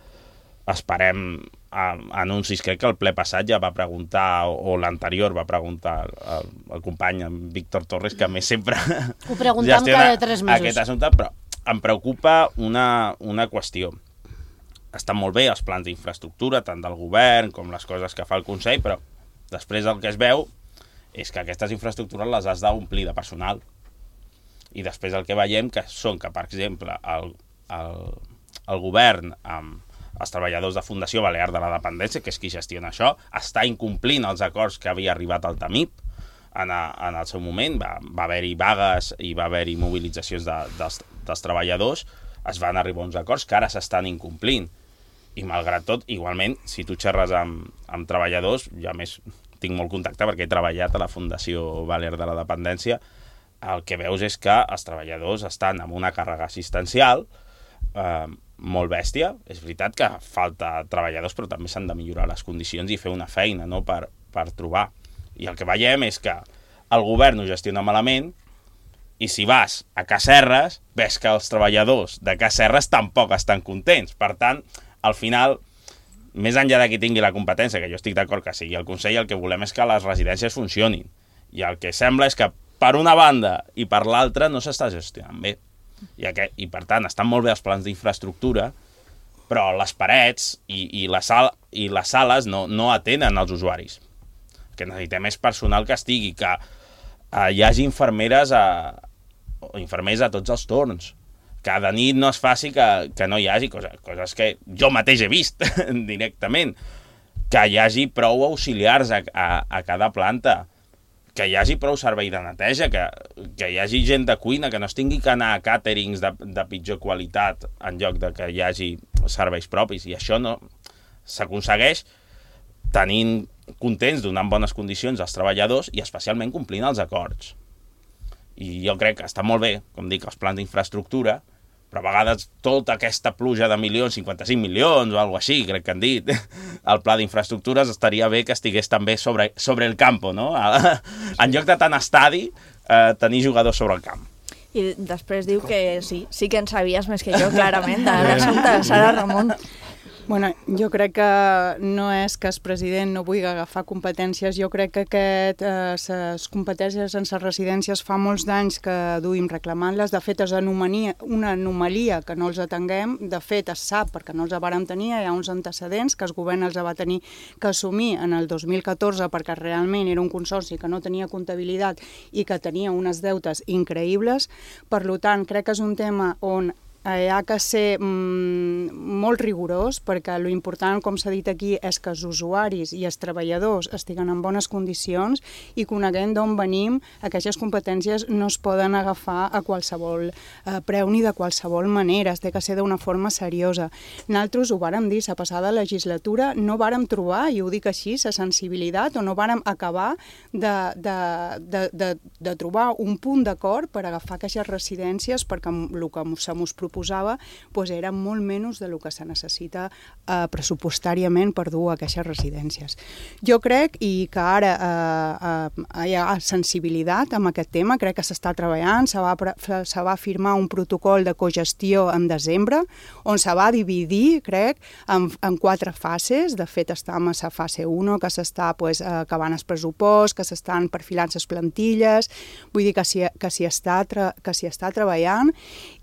esperem eh, anuncis. Crec que el ple passat ja va preguntar, o, o l'anterior va preguntar el, el company en Víctor Torres, que a més sempre ho preguntem cada tres mesos. Aquest assumpte, però em preocupa una, una qüestió. Estan molt bé els plans d'infraestructura, tant del govern com les coses que fa el Consell, però després el que es veu és que aquestes infraestructures les has d'omplir de personal. I després el que veiem que són que, per exemple, el, el, el govern amb els treballadors de Fundació Balear de la Dependència, que és qui gestiona això, està incomplint els acords que havia arribat al TAMIP. En, a, en el seu moment va, va haver-hi vagues i va haver-hi mobilitzacions de, dels, dels treballadors, es van arribar a uns acords que ara s'estan incomplint. I malgrat tot, igualment, si tu xerres amb, amb treballadors, jo a més tinc molt contacte perquè he treballat a la Fundació Balear de la Dependència, el que veus és que els treballadors estan amb una càrrega assistencial eh, molt bèstia. És veritat que falta treballadors, però també s'han de millorar les condicions i fer una feina, no?, per, per trobar. I el que veiem és que el govern ho gestiona malament i si vas a Casserres, ves que els treballadors de Casserres tampoc estan contents. Per tant, al final, més enllà de qui tingui la competència, que jo estic d'acord que sigui el Consell, el que volem és que les residències funcionin. I el que sembla és que per una banda i per l'altra no s'està gestionant bé. I, aquest, I per tant, estan molt bé els plans d'infraestructura, però les parets i, i, les, sal, i les sales no, no atenen els usuaris. Que necessitem és personal que estigui, que eh, hi hagi infermeres a, o infermers a tots els torns, que de nit no es faci que, que no hi hagi coses, coses que jo mateix he vist directament, que hi hagi prou auxiliars a, a, a cada planta, que hi hagi prou servei de neteja, que, que hi hagi gent de cuina, que no es tingui que anar a càterings de, de pitjor qualitat en lloc de que hi hagi serveis propis, i això no s'aconsegueix tenint contents, donant bones condicions als treballadors i especialment complint els acords. I jo crec que està molt bé, com dic, els plans d'infraestructura, però a vegades tota aquesta pluja de milions, cinquanta-cinc milions o alguna cosa així, crec que han dit, el pla d'infraestructures estaria bé que estigués també sobre, sobre el campo, no? En lloc de tant estadi, eh, tenir jugadors sobre el camp. I després diu que sí, sí que en sabies més que jo, clarament, de l'assumpte de Sara Ramon. Bueno, jo crec que no és que el president no vulgui agafar competències, jo crec que aquest, eh, les competències en les residències fa molts d'anys que duim reclamant-les. De fet, és anomalia, una anomalia que no els atenguem. De fet, es sap perquè no els vàrem tenir, hi ha uns antecedents que el govern els va tenir que assumir en el dos mil catorze perquè realment era un consorci que no tenia comptabilitat i que tenia unes deutes increïbles. Per tant, crec que és un tema on hi ha que ser mm, molt rigorós perquè l'important, com s'ha dit aquí, és que els usuaris i els treballadors estiguen en bones condicions i coneguem d'on venim. Aquestes competències no es poden agafar a qualsevol eh, preu ni de qualsevol manera, es té que ser d'una forma seriosa. Nosaltres ho vàrem dir, la passada legislatura no vàrem trobar, i ho dic així, la sensibilitat, o no vàrem acabar de, de, de, de, de trobar un punt d'acord per agafar aquestes residències perquè el que se mos proposava pues, era molt menys del que que se necessita eh, pressupostàriament per dur a aquestes residències. Jo crec, i que ara eh, eh, hi ha sensibilitat amb aquest tema, crec que s'està treballant, se va, se va firmar un protocol de cogestió en desembre, on se va dividir, crec, en, en quatre fases. De fet, estem a la fase u, que s'està pues, acabant el pressupost, que s'estan perfilant les plantilles, vull dir que s'hi que s'hi està, que s'hi està treballant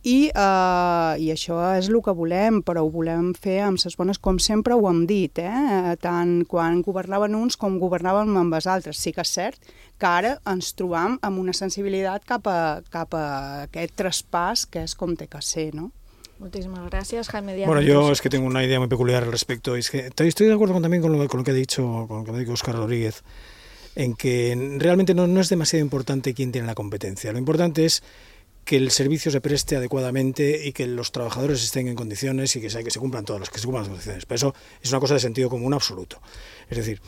i, eh, i això és el que volem, però ho volem fer amb les bones, com sempre ho hem dit, eh? Tant quan governaven uns com governàvem amb els altres. Sí que és cert que ara ens trobam amb una sensibilitat cap a, cap a aquest traspàs que és com té que ser, ¿no? Muchísimas gracias, Jaime Díaz. Bueno, yo es que tengo una idea muy peculiar al respecto. Es que estoy de acuerdo con, también con lo, con lo que ha dicho, con lo que ha dicho Óscar Rodríguez, en que realmente no, no es demasiado importante quién tiene la competencia. Lo importante es que el servicio se preste adecuadamente y que los trabajadores estén en condiciones y que se, que se cumplan todas las, que se cumplan las condiciones. Pero eso es una cosa de sentido común absoluto. Es decir,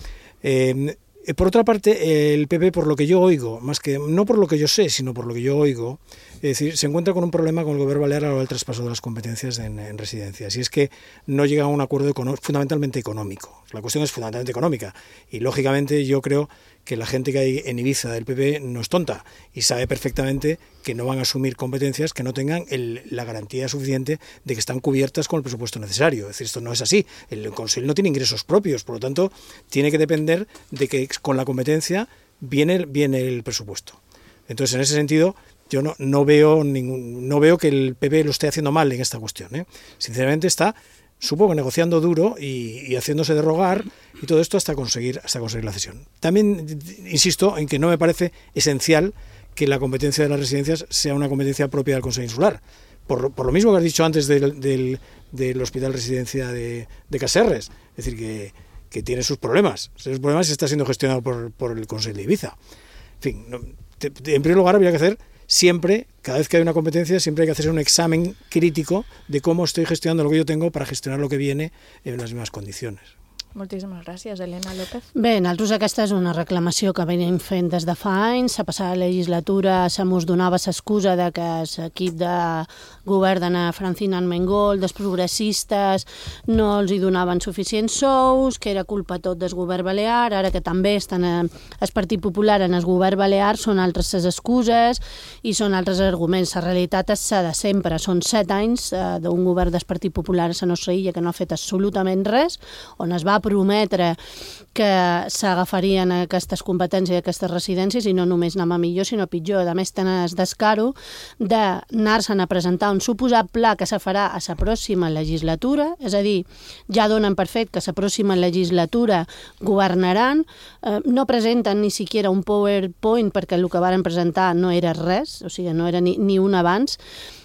eh, por otra parte, el P P, por lo que yo oigo, más que no por lo que yo sé, sino por lo que yo oigo, es decir, se encuentra con un problema con el Gobierno Balear a la hora del traspaso de las competencias en, en residencias, y es que no llega a un acuerdo fundamentalmente económico. La cuestión es fundamentalmente económica, y lógicamente yo creo que la gente que hay en Ibiza del P P no es tonta y sabe perfectamente que no van a asumir competencias que no tengan el, la garantía suficiente de que están cubiertas con el presupuesto necesario. Es decir, esto no es así. El Consell no tiene ingresos propios, por lo tanto, tiene que depender de que con la competencia viene, viene el presupuesto. Entonces, en ese sentido, yo no, no, veo ningún, no veo que el P P lo esté haciendo mal en esta cuestión, ¿eh? Sinceramente está, supongo, negociando duro y, y haciéndose de rogar y todo esto hasta conseguir, hasta conseguir la cesión. También insisto en que no me parece esencial que la competencia de las residencias sea una competencia propia del Consejo Insular. Por, por lo mismo que has dicho antes del, del, del Hospital Residencia de, de Caserres, es decir, que, que tiene sus problemas. Esos problemas está siendo gestionado por, por el Consejo de Ibiza. En fin, no, te, te, en primer lugar habría que hacer siempre, cada vez que hay una competencia, siempre hay que hacer un examen crítico de cómo estoy gestionando lo que yo tengo para gestionar lo que viene en las mismas condiciones. Moltíssimes gràcies, Elena López. Bé, nosaltres aquesta és una reclamació que venim fent des de fa anys. La passada legislatura se mos donava l'excusa de que l'equip de govern d'Anna Francina Armengol, dels progressistes, no els hi donaven suficients sous, que era culpa tot del govern balear. Ara que també estan el Partit Popular en el govern balear, són altres les excuses i són altres arguments. La realitat és la de sempre. Són set anys d'un govern del Partit Popular a la nostra illa que no ha fet absolutament res, on es va prometre que s'agafarien aquestes competències i aquestes residències i no només anem a millor, sinó a pitjor. A més, tenen el descaro d'anar-se'n a presentar un suposat pla que se farà a la pròxima legislatura, és a dir, ja donen per fet que a la pròxima legislatura governaran, eh, no presenten ni siquiera un PowerPoint perquè el que varen presentar no era res, o sigui, no era ni, ni un abans,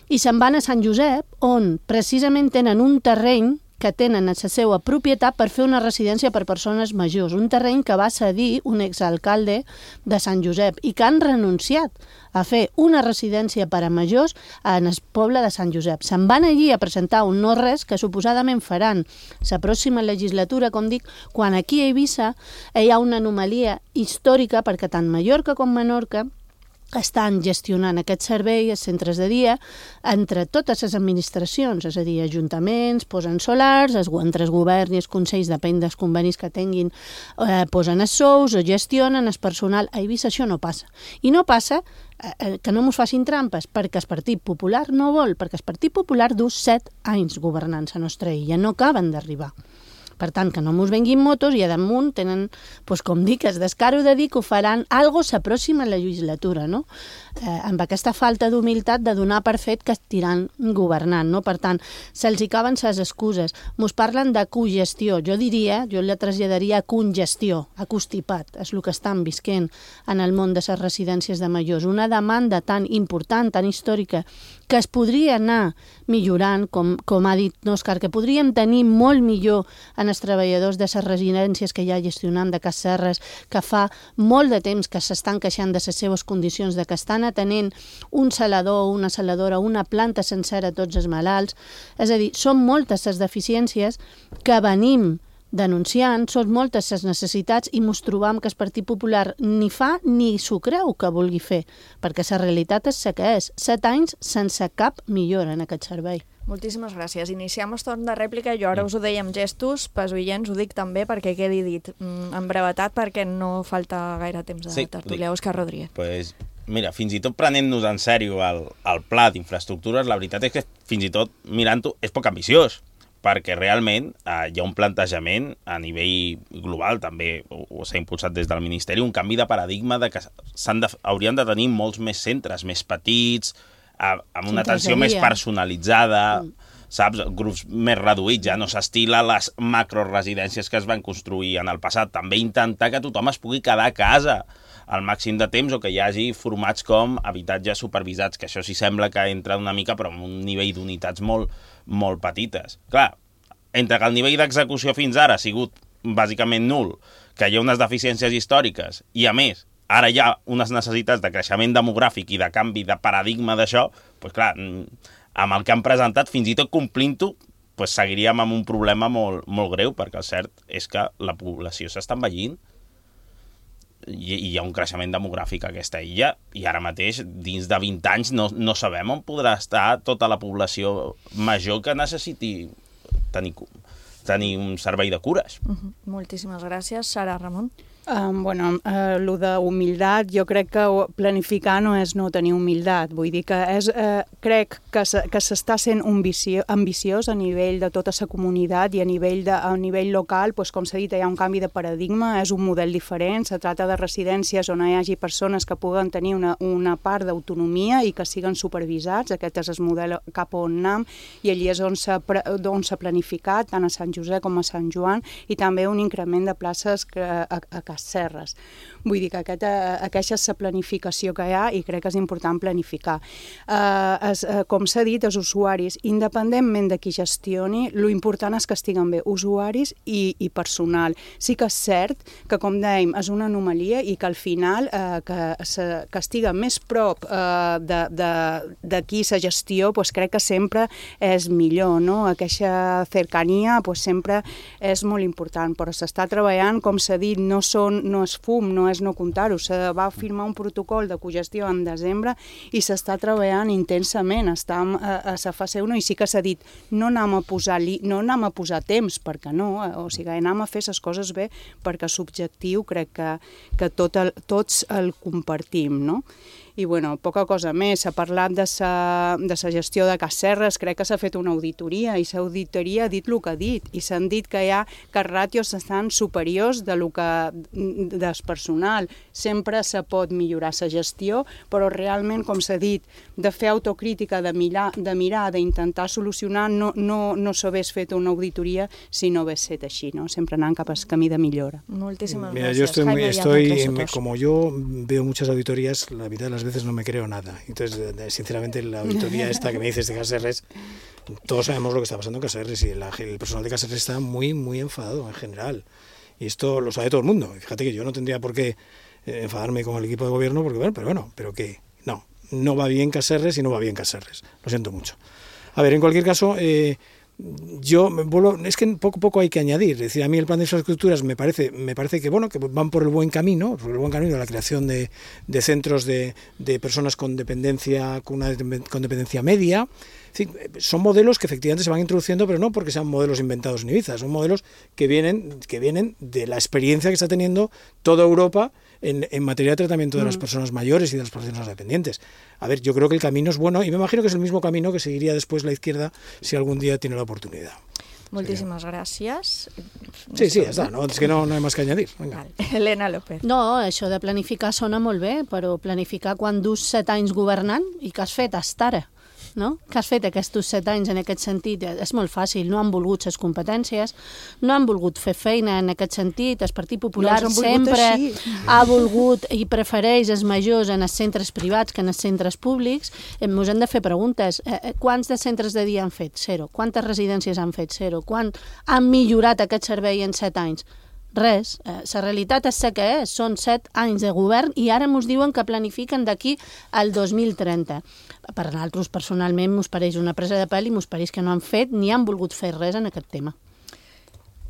i se'n van a Sant Josep, on precisament tenen un terreny que tenen a la seva propietat per fer una residència per persones majors, un terreny que va cedir un exalcalde de Sant Josep i que han renunciat a fer una residència per a majors en el poble de Sant Josep. Se'n van allí a presentar un no res que suposadament faran la pròxima legislatura, com dic, quan aquí a Eivissa hi ha una anomalia històrica perquè tant Mallorca com Menorca estan gestionant aquest servei, els centres de dia, entre totes les administracions, és a dir, ajuntaments, posen solars, entre els governs i els consells, depèn dels convenis que tinguin, eh, posen els sous, o gestionen el personal. A Eivissa això no passa. I no passa eh, que no mos facin trampes, perquè el Partit Popular no vol, perquè el Partit Popular du set anys governant la nostra illa, no acaben d'arribar. Per tant, que no mos venguin motos i a damunt tenen, doncs, com dic, el descaro de dir que ho faran algo la pròxima legislatura, no? Eh, amb aquesta falta d'humilitat de donar per fet que estiran governant, no? Per tant, se'ls hi caben les excuses. Mos parlen de cogestió. Jo diria, jo la traslladaria a congestió, a constipat, és el que estan visquent en el món de les residències de majors. Una demanda tan important, tan històrica, que es podria anar millorant, com, com ha dit Òscar, que podríem tenir molt millor en els treballadors de les residències que ja gestionem de Caserres, que fa molt de temps que s'estan queixant de les seves condicions, de que estan atenent un salador o una saladora, una planta sencera a tots els malalts. És a dir, són moltes les deficiències que venim denunciant, són moltes les necessitats i mos trobam que el Partit Popular ni fa ni s'ho creu que vulgui fer, perquè la realitat és la que és. Set anys sense cap millora en aquest servei. Moltíssimes gràcies. Iniciem el torn de rèplica. Jo ara us ho deia amb gestos, pels oients ho dic també perquè quedi dit en brevetat, perquè no falta gaire temps de Sí, tertúlia. dic. Òscar Rodríguez. Pues, mira, fins i tot prenent-nos en sèrio el, el pla d'infraestructures, la veritat és que fins i tot mirant-ho és poc ambiciós, perquè realment eh, hi ha un plantejament a nivell global, també ho, ho s'ha impulsat des del Ministeri, un canvi de paradigma de que s'han de, haurien de tenir molts més centres, més petits, eh, amb una atenció més personalitzada, mm. saps? Grups més reduïts, ja no s'estila les macroresidències que es van construir en el passat. També intentar que tothom es pugui quedar a casa al màxim de temps o que hi hagi formats com habitatges supervisats, que això sí sembla que entra una mica però amb un nivell d'unitats molt, molt petites. Clar, entre que el nivell d'execució fins ara ha sigut bàsicament nul, que hi ha unes deficiències històriques i, a més, ara hi ha unes necessitats de creixement demogràfic i de canvi de paradigma d'això, doncs clar, amb el que han presentat, fins i tot complint-ho, doncs seguiríem amb un problema molt, molt greu, perquè el cert és que la població s'està envellint i hi ha un creixement demogràfic a aquesta illa i ara mateix, dins de vint anys, no, no sabem on podrà estar tota la població major que necessiti tenir, tenir un servei de cures. Uh-huh. Moltíssimes gràcies. Sara Ramon. Um, bueno, uh, lo de humilitat, jo crec que planificar no és no tenir humilitat, vull dir que és, uh, crec que s'està sent ambicio, ambiciós a nivell de tota la comunitat i a nivell, de, a nivell local, doncs, com s'ha dit, hi ha un canvi de paradigma, és un model diferent, se tracta de residències on hi hagi persones que puguen tenir una, una part d'autonomia i que siguen supervisats, aquest és el model cap on anem, i allí és on s'ha s'ha planificat, tant a Sant Josep com a Sant Joan, i també un increment de places que, a, a Casserres. Vull dir que aquesta, aquesta és la planificació que hi ha i crec que és important planificar. Uh, es, uh, com s'ha dit, els usuaris, independentment de qui gestioni, l'important és que estiguen bé usuaris i, i personal. Sí que és cert que, com dèiem, és una anomalia i que al final uh, que, se, que estiga més prop uh, de, de, de qui la gestió, pues crec que sempre és millor, no? Aquesta cercania pues sempre és molt important, però s'està treballant, com s'ha dit, no són no és fum, no és no comptar-ho. Se va firmar un protocol de cogestió en desembre i s'està treballant intensament, està a, a la fase u i sí que s'ha dit, no anem a posar, no anem a posar temps, perquè no, o sigui, anem a fer les coses bé, perquè l'objectiu crec que, que tot el, tots el compartim, no? I, bueno, poca cosa més. S'ha parlat de sa, de sa gestió de Casserres, crec que s'ha fet una auditoria i l'auditoria ha dit el que ha dit i s'han dit que hi ha que els ràtios estan superiors de lo que, del personal. Sempre se pot millorar la gestió, però realment, com s'ha dit, de fer autocrítica, de mirar, de mirar, d'intentar solucionar, no, no, no s'hagués fet una auditoria si no hagués set així, no? Sempre anant cap al camí de millora. Moltíssimes Mira, gràcies. yo estoy, Jaime estoy Villanueva, como yo veo muchas auditorías, la mitad de las veces no me creo nada. Entonces, sinceramente, la auditoría esta que me dices de Casserres, todos sabemos lo que está pasando en Casserres y el, el personal de Casserres está muy, muy enfadado en general. Y esto lo sabe todo el mundo. Fíjate que yo no tendría por qué enfadarme con el equipo de gobierno, porque bueno, pero bueno, pero que no, no va bien Casserres y no va bien Casserres. Lo siento mucho. A ver, en cualquier caso, eh, yo me vuelvo, es que poco a poco hay que añadir, es decir, a mí el plan de infraestructuras me parece, me parece que bueno, que van por el buen camino, por el buen camino de la creación de, de centros de, de personas con dependencia, con una con dependencia media. Sí, son modelos que efectivamente se van introduciendo, pero no porque sean modelos inventados en Ibiza, son modelos que vienen, que vienen de la experiencia que está teniendo toda Europa en, en materia de tratamiento de las personas mayores y de las personas dependientes. A ver, yo creo que el camino es bueno y me imagino que es el mismo camino que seguiría después la izquierda si algún día tiene la oportunidad. Moltíssimes gràcies. Sí, sí, ja està, no, és que no, no hi ha més que añadir. Venga. Elena López. No, això de planificar sona molt bé, però planificar quan dus set anys governant i què has fet hasta ara? No? Què has fet aquests set anys en aquest sentit? És molt fàcil, no han volgut les competències, no han volgut fer feina en aquest sentit, el Partit Popular no sempre ha volgut i prefereix els majors en els centres privats que en els centres públics. Ens hem de fer preguntes. Quants de centres de dia han fet? Zero. Quantes residències han fet? Zero. Quan han millorat aquest servei en set anys? Res. La realitat és que és. Són set anys de govern i ara ens diuen que planifiquen d'aquí al dos mil trenta. Per nosaltres, personalment, ens pareix una presa de pèl i ens pareix que no han fet ni han volgut fer res en aquest tema.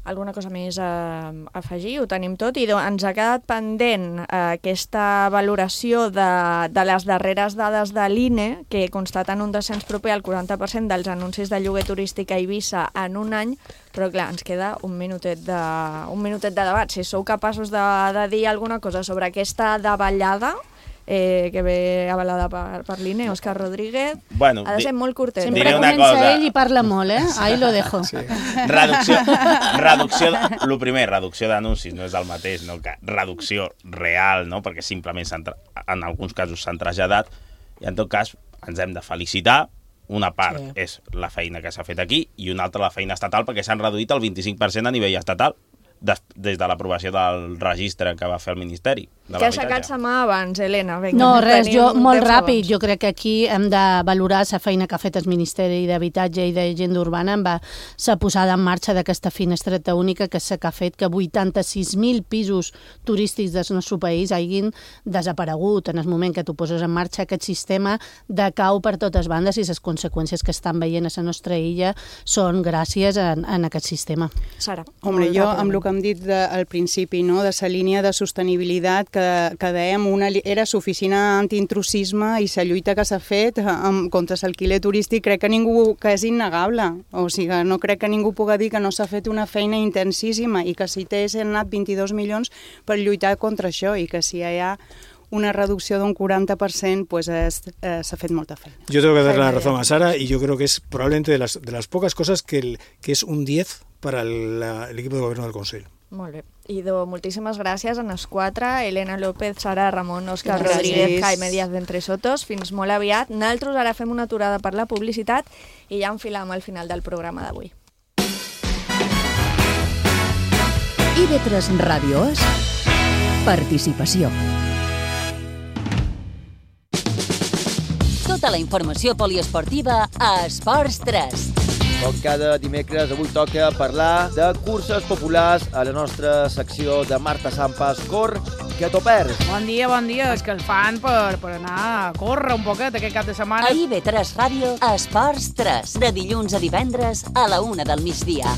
alguna cosa més a afegir? Ho tenim tot i ens ha quedat pendent aquesta valoració de, de les darreres dades de l'I N E que constaten un descens proper al quaranta per cent dels anuncis de lloguer turístic a Eivissa en un any, però clar, ens queda un minutet de, un minutet de debat. Si sou capaços de, de dir alguna cosa sobre aquesta davallada, Eh, que ve avalada per, per l'I N E, Òscar Rodríguez, bueno, ha de ser molt curtet. Sempre comença cosa. ell i parla molt, eh? Ahí lo dejo. Sí. Reducció, reducció, el primer, reducció d'anuncis, no és el mateix, no? Que reducció real, no? Perquè simplement en alguns casos s'han traslladat, i en tot cas ens hem de felicitar. Una part sí. és la feina que s'ha fet aquí i una altra la feina estatal, perquè s'han reduït el vint-i-cinc per cent a nivell estatal. Des, des de l'aprovació del registre que va fer el Ministeri de l'Habitatge. Que ha aixecat sa mà abans, Helena. Vinga, no, res, jo molt ràpid. Abans. Jo crec que aquí hem de valorar la feina que ha fet el Ministeri d'Habitatge i d'Agenda Urbana amb la posada en marxa d'aquesta finestreta única que s'ha fet que vuitanta-sis mil pisos turístics del nostre país hagin desaparegut en el moment que tu poses en marxa aquest sistema de cau per totes bandes i les conseqüències que estan veient a la nostra illa són gràcies a, a aquest sistema. Sara. Hombre, jo amb el que hem dit de, al principi, no, de la línia de sostenibilitat que, que dèiem, una, era l'oficina antiintrusisme i la lluita que s'ha fet amb, contra l'alquiler turístic, crec que ningú, que és innegable. O sigui, no crec que ningú pugui dir que no s'ha fet una feina intensíssima i que si té s'han anat vint-i-dos milions per lluitar contra això i que si hi ha una reducció d'un quaranta per cent, pues es, eh, s'ha fet molta feina. Yo tengo que dar la razón a Sara y yo creo que es probablemente de las, de las pocas cosas que, el, que es un diez para el, la, el equipo de gobierno del Consell. Molt bé. Idò, moltíssimes gràcies a les quatre, Helena López, Sara Ramon, Òscar Rodríguez, Jaime Díaz d'Entresotos. Fins molt aviat. Nosaltres ara fem una aturada per la publicitat i ja enfilam al final del programa d'avui. I V tres Ràdio és participació. Tota la informació poliesportiva a Esports tres. Com cada dimecres, avui toca parlar de curses populars a la nostra secció de Marta Sampas, Cor, que t'ho perds. Bon dia, bon dia. És que el fan per, per anar a córrer un poquet aquest cap de setmana. A I V tres Ràdio, Esports tres, de dilluns a divendres a la una del migdia.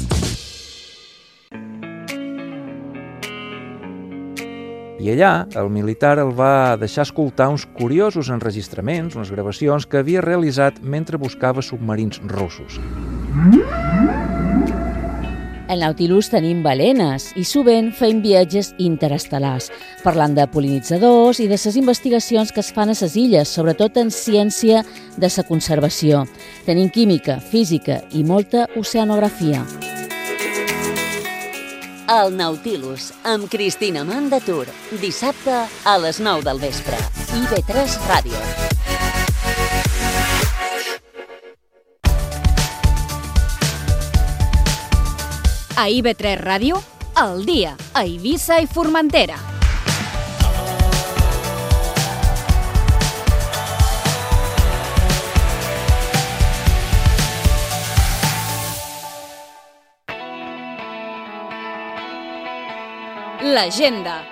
I allà, el militar el va deixar escoltar uns curiosos enregistraments, unes gravacions que havia realitzat mentre buscava submarins russos. Al Nautilus tenim balenes i sovint fem viatges interestel·lars, parlant de pol·linitzadors i de les investigacions que es fan a les illes, sobretot en ciència de la conservació. Tenim química, física i molta oceanografia. El Nautilus, amb Cristina Mandatur, dissabte a les nou del vespre. I V tres Ràdio. A I V tres Ràdio, al dia, a Eivissa i Formentera. L'agenda.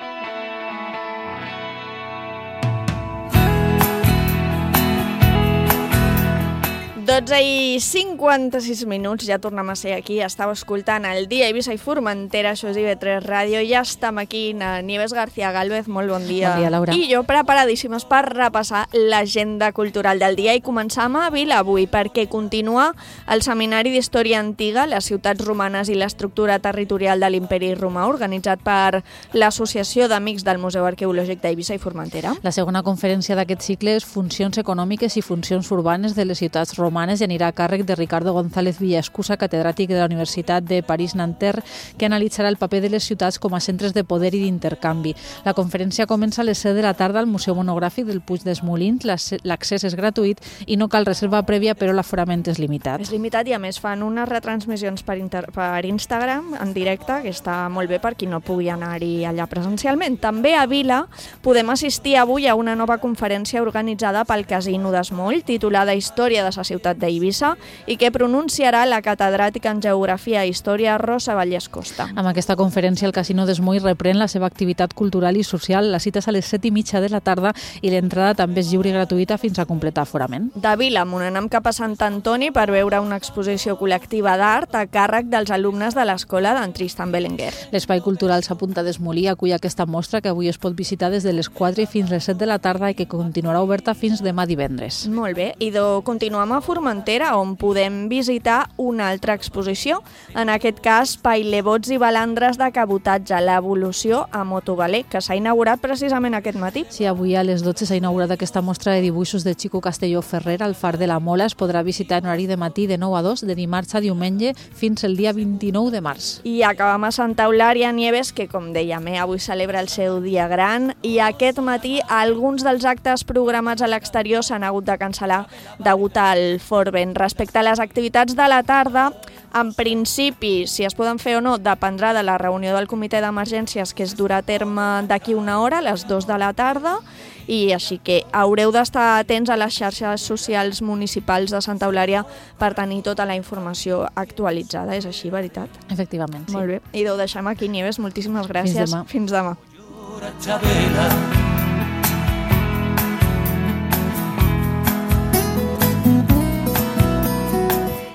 dotze i cinquanta-sis minuts, ja tornem a ser aquí, estàu escoltant el dia Eivissa i Formentera, això és I V tres Ràdio, ja estem aquí, Nieves García Gálvez, molt bon dia. Bon dia, Laura. I jo preparadíssimes per repassar l'agenda cultural del dia i començam a Vila avui, perquè continua el Seminari d'Història Antiga, les ciutats romanes i l'estructura territorial de l'Imperi Romà, organitzat per l'Associació d'Amics del Museu Arqueològic d'Eivissa i Formentera. La segona conferència d'aquest cicle és Funcions econòmiques i funcions urbanes de les ciutats romanes i anirà a càrrec de Ricardo González Villaescusa, catedràtic de la Universitat de París-Nanterre, que analitzarà el paper de les ciutats com a centres de poder i d'intercanvi. La conferència comença a les set de la tarda al Museu Monogràfic del Puig dels Molins. L'accés és gratuït i no cal reserva prèvia, però l'aforament és limitat. És limitat i a més fan unes retransmissions per, inter... per Instagram en directe, que està molt bé per qui no pugui anar-hi allà presencialment. També a Vila podem assistir avui a una nova conferència organitzada pel Casino d'Esmoll, titulada Història de la ciutat ciutat d'Eivissa i que pronunciarà la catedràtica en Geografia i Història Rosa Vallès Costa. Amb aquesta conferència el Casino d'Esmoll reprèn la seva activitat cultural i social. La cita és a les set i mitja de la tarda i l'entrada també és lliure i gratuïta fins a completar aforament. De Vilamunt anem cap a Sant Antoni per veure una exposició col·lectiva d'art a càrrec dels alumnes de l'escola d'en Tristan Belenguer. L'Espai Cultural Sa Punta d'Esmolí acull aquesta mostra que avui es pot visitar des de les quatre fins les set de la tarda i que continuarà oberta fins demà divendres. Molt bé, i de continuem a Formentera, on podem visitar una altra exposició. En aquest cas, Pailebots i balandres de cabotatge, l'evolució a motovaler, que s'ha inaugurat precisament aquest matí. Sí, avui a les dotze s'ha inaugurat aquesta mostra de dibuixos de Chico Castelló Ferrer al Far de la Mola. Es podrà visitar en horari de matí de nou a dos, de dimarts a diumenge, fins el dia vint-i-nou de març. I acabem a Santa Eulària Nieves, que, com dèiem, eh, avui celebra el seu dia gran, i aquest matí alguns dels actes programats a l'exterior s'han hagut de cancel·lar degut al fort vent. Respecte a les activitats de la tarda, en principi, si es poden fer o no, dependrà de la reunió del comitè d'emergències, que es durà a terme d'aquí una hora, a les dues de la tarda, i així que haureu d'estar atents a les xarxes socials municipals de Santa Eulària per tenir tota la informació actualitzada. És així, veritat? Efectivament, sí. Molt bé. I ho deixem aquí, Nieves. Moltíssimes gràcies. Fins demà. Fins demà.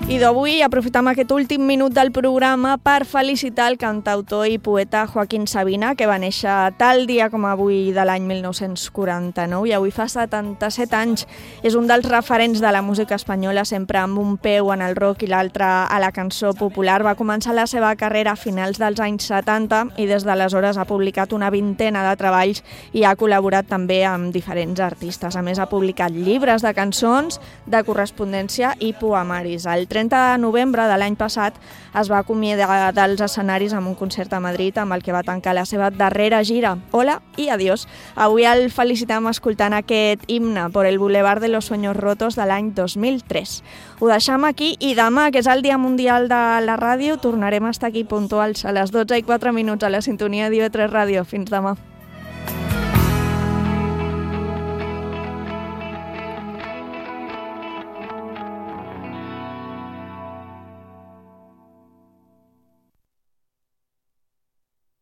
I d'avui aprofitam aquest últim minut del programa per felicitar el cantautor i poeta Joaquín Sabina, que va néixer tal dia com avui de l'any mil nou-cents quaranta-nou i avui fa setanta-set anys. És un dels referents de la música espanyola, sempre amb un peu en el rock i l'altre a la cançó popular. Va començar la seva carrera a finals dels anys setanta i des d'aleshores ha publicat una vintena de treballs i ha col·laborat també amb diferents artistes. A més, ha publicat llibres de cançons, de correspondència i poemaris. El trenta de novembre de l'any passat es va acomiadar dels escenaris amb un concert a Madrid amb el que va tancar la seva darrera gira. Hola i adiós. Avui el felicitem escoltant aquest himne por el Boulevard de los Sueños Rotos de l'any dos mil tres. Ho deixem aquí i demà, que és el Dia Mundial de la Ràdio, tornarem a estar aquí puntuals a les dotze i quatre minuts a la sintonia d'I V tres Ràdio. Fins demà.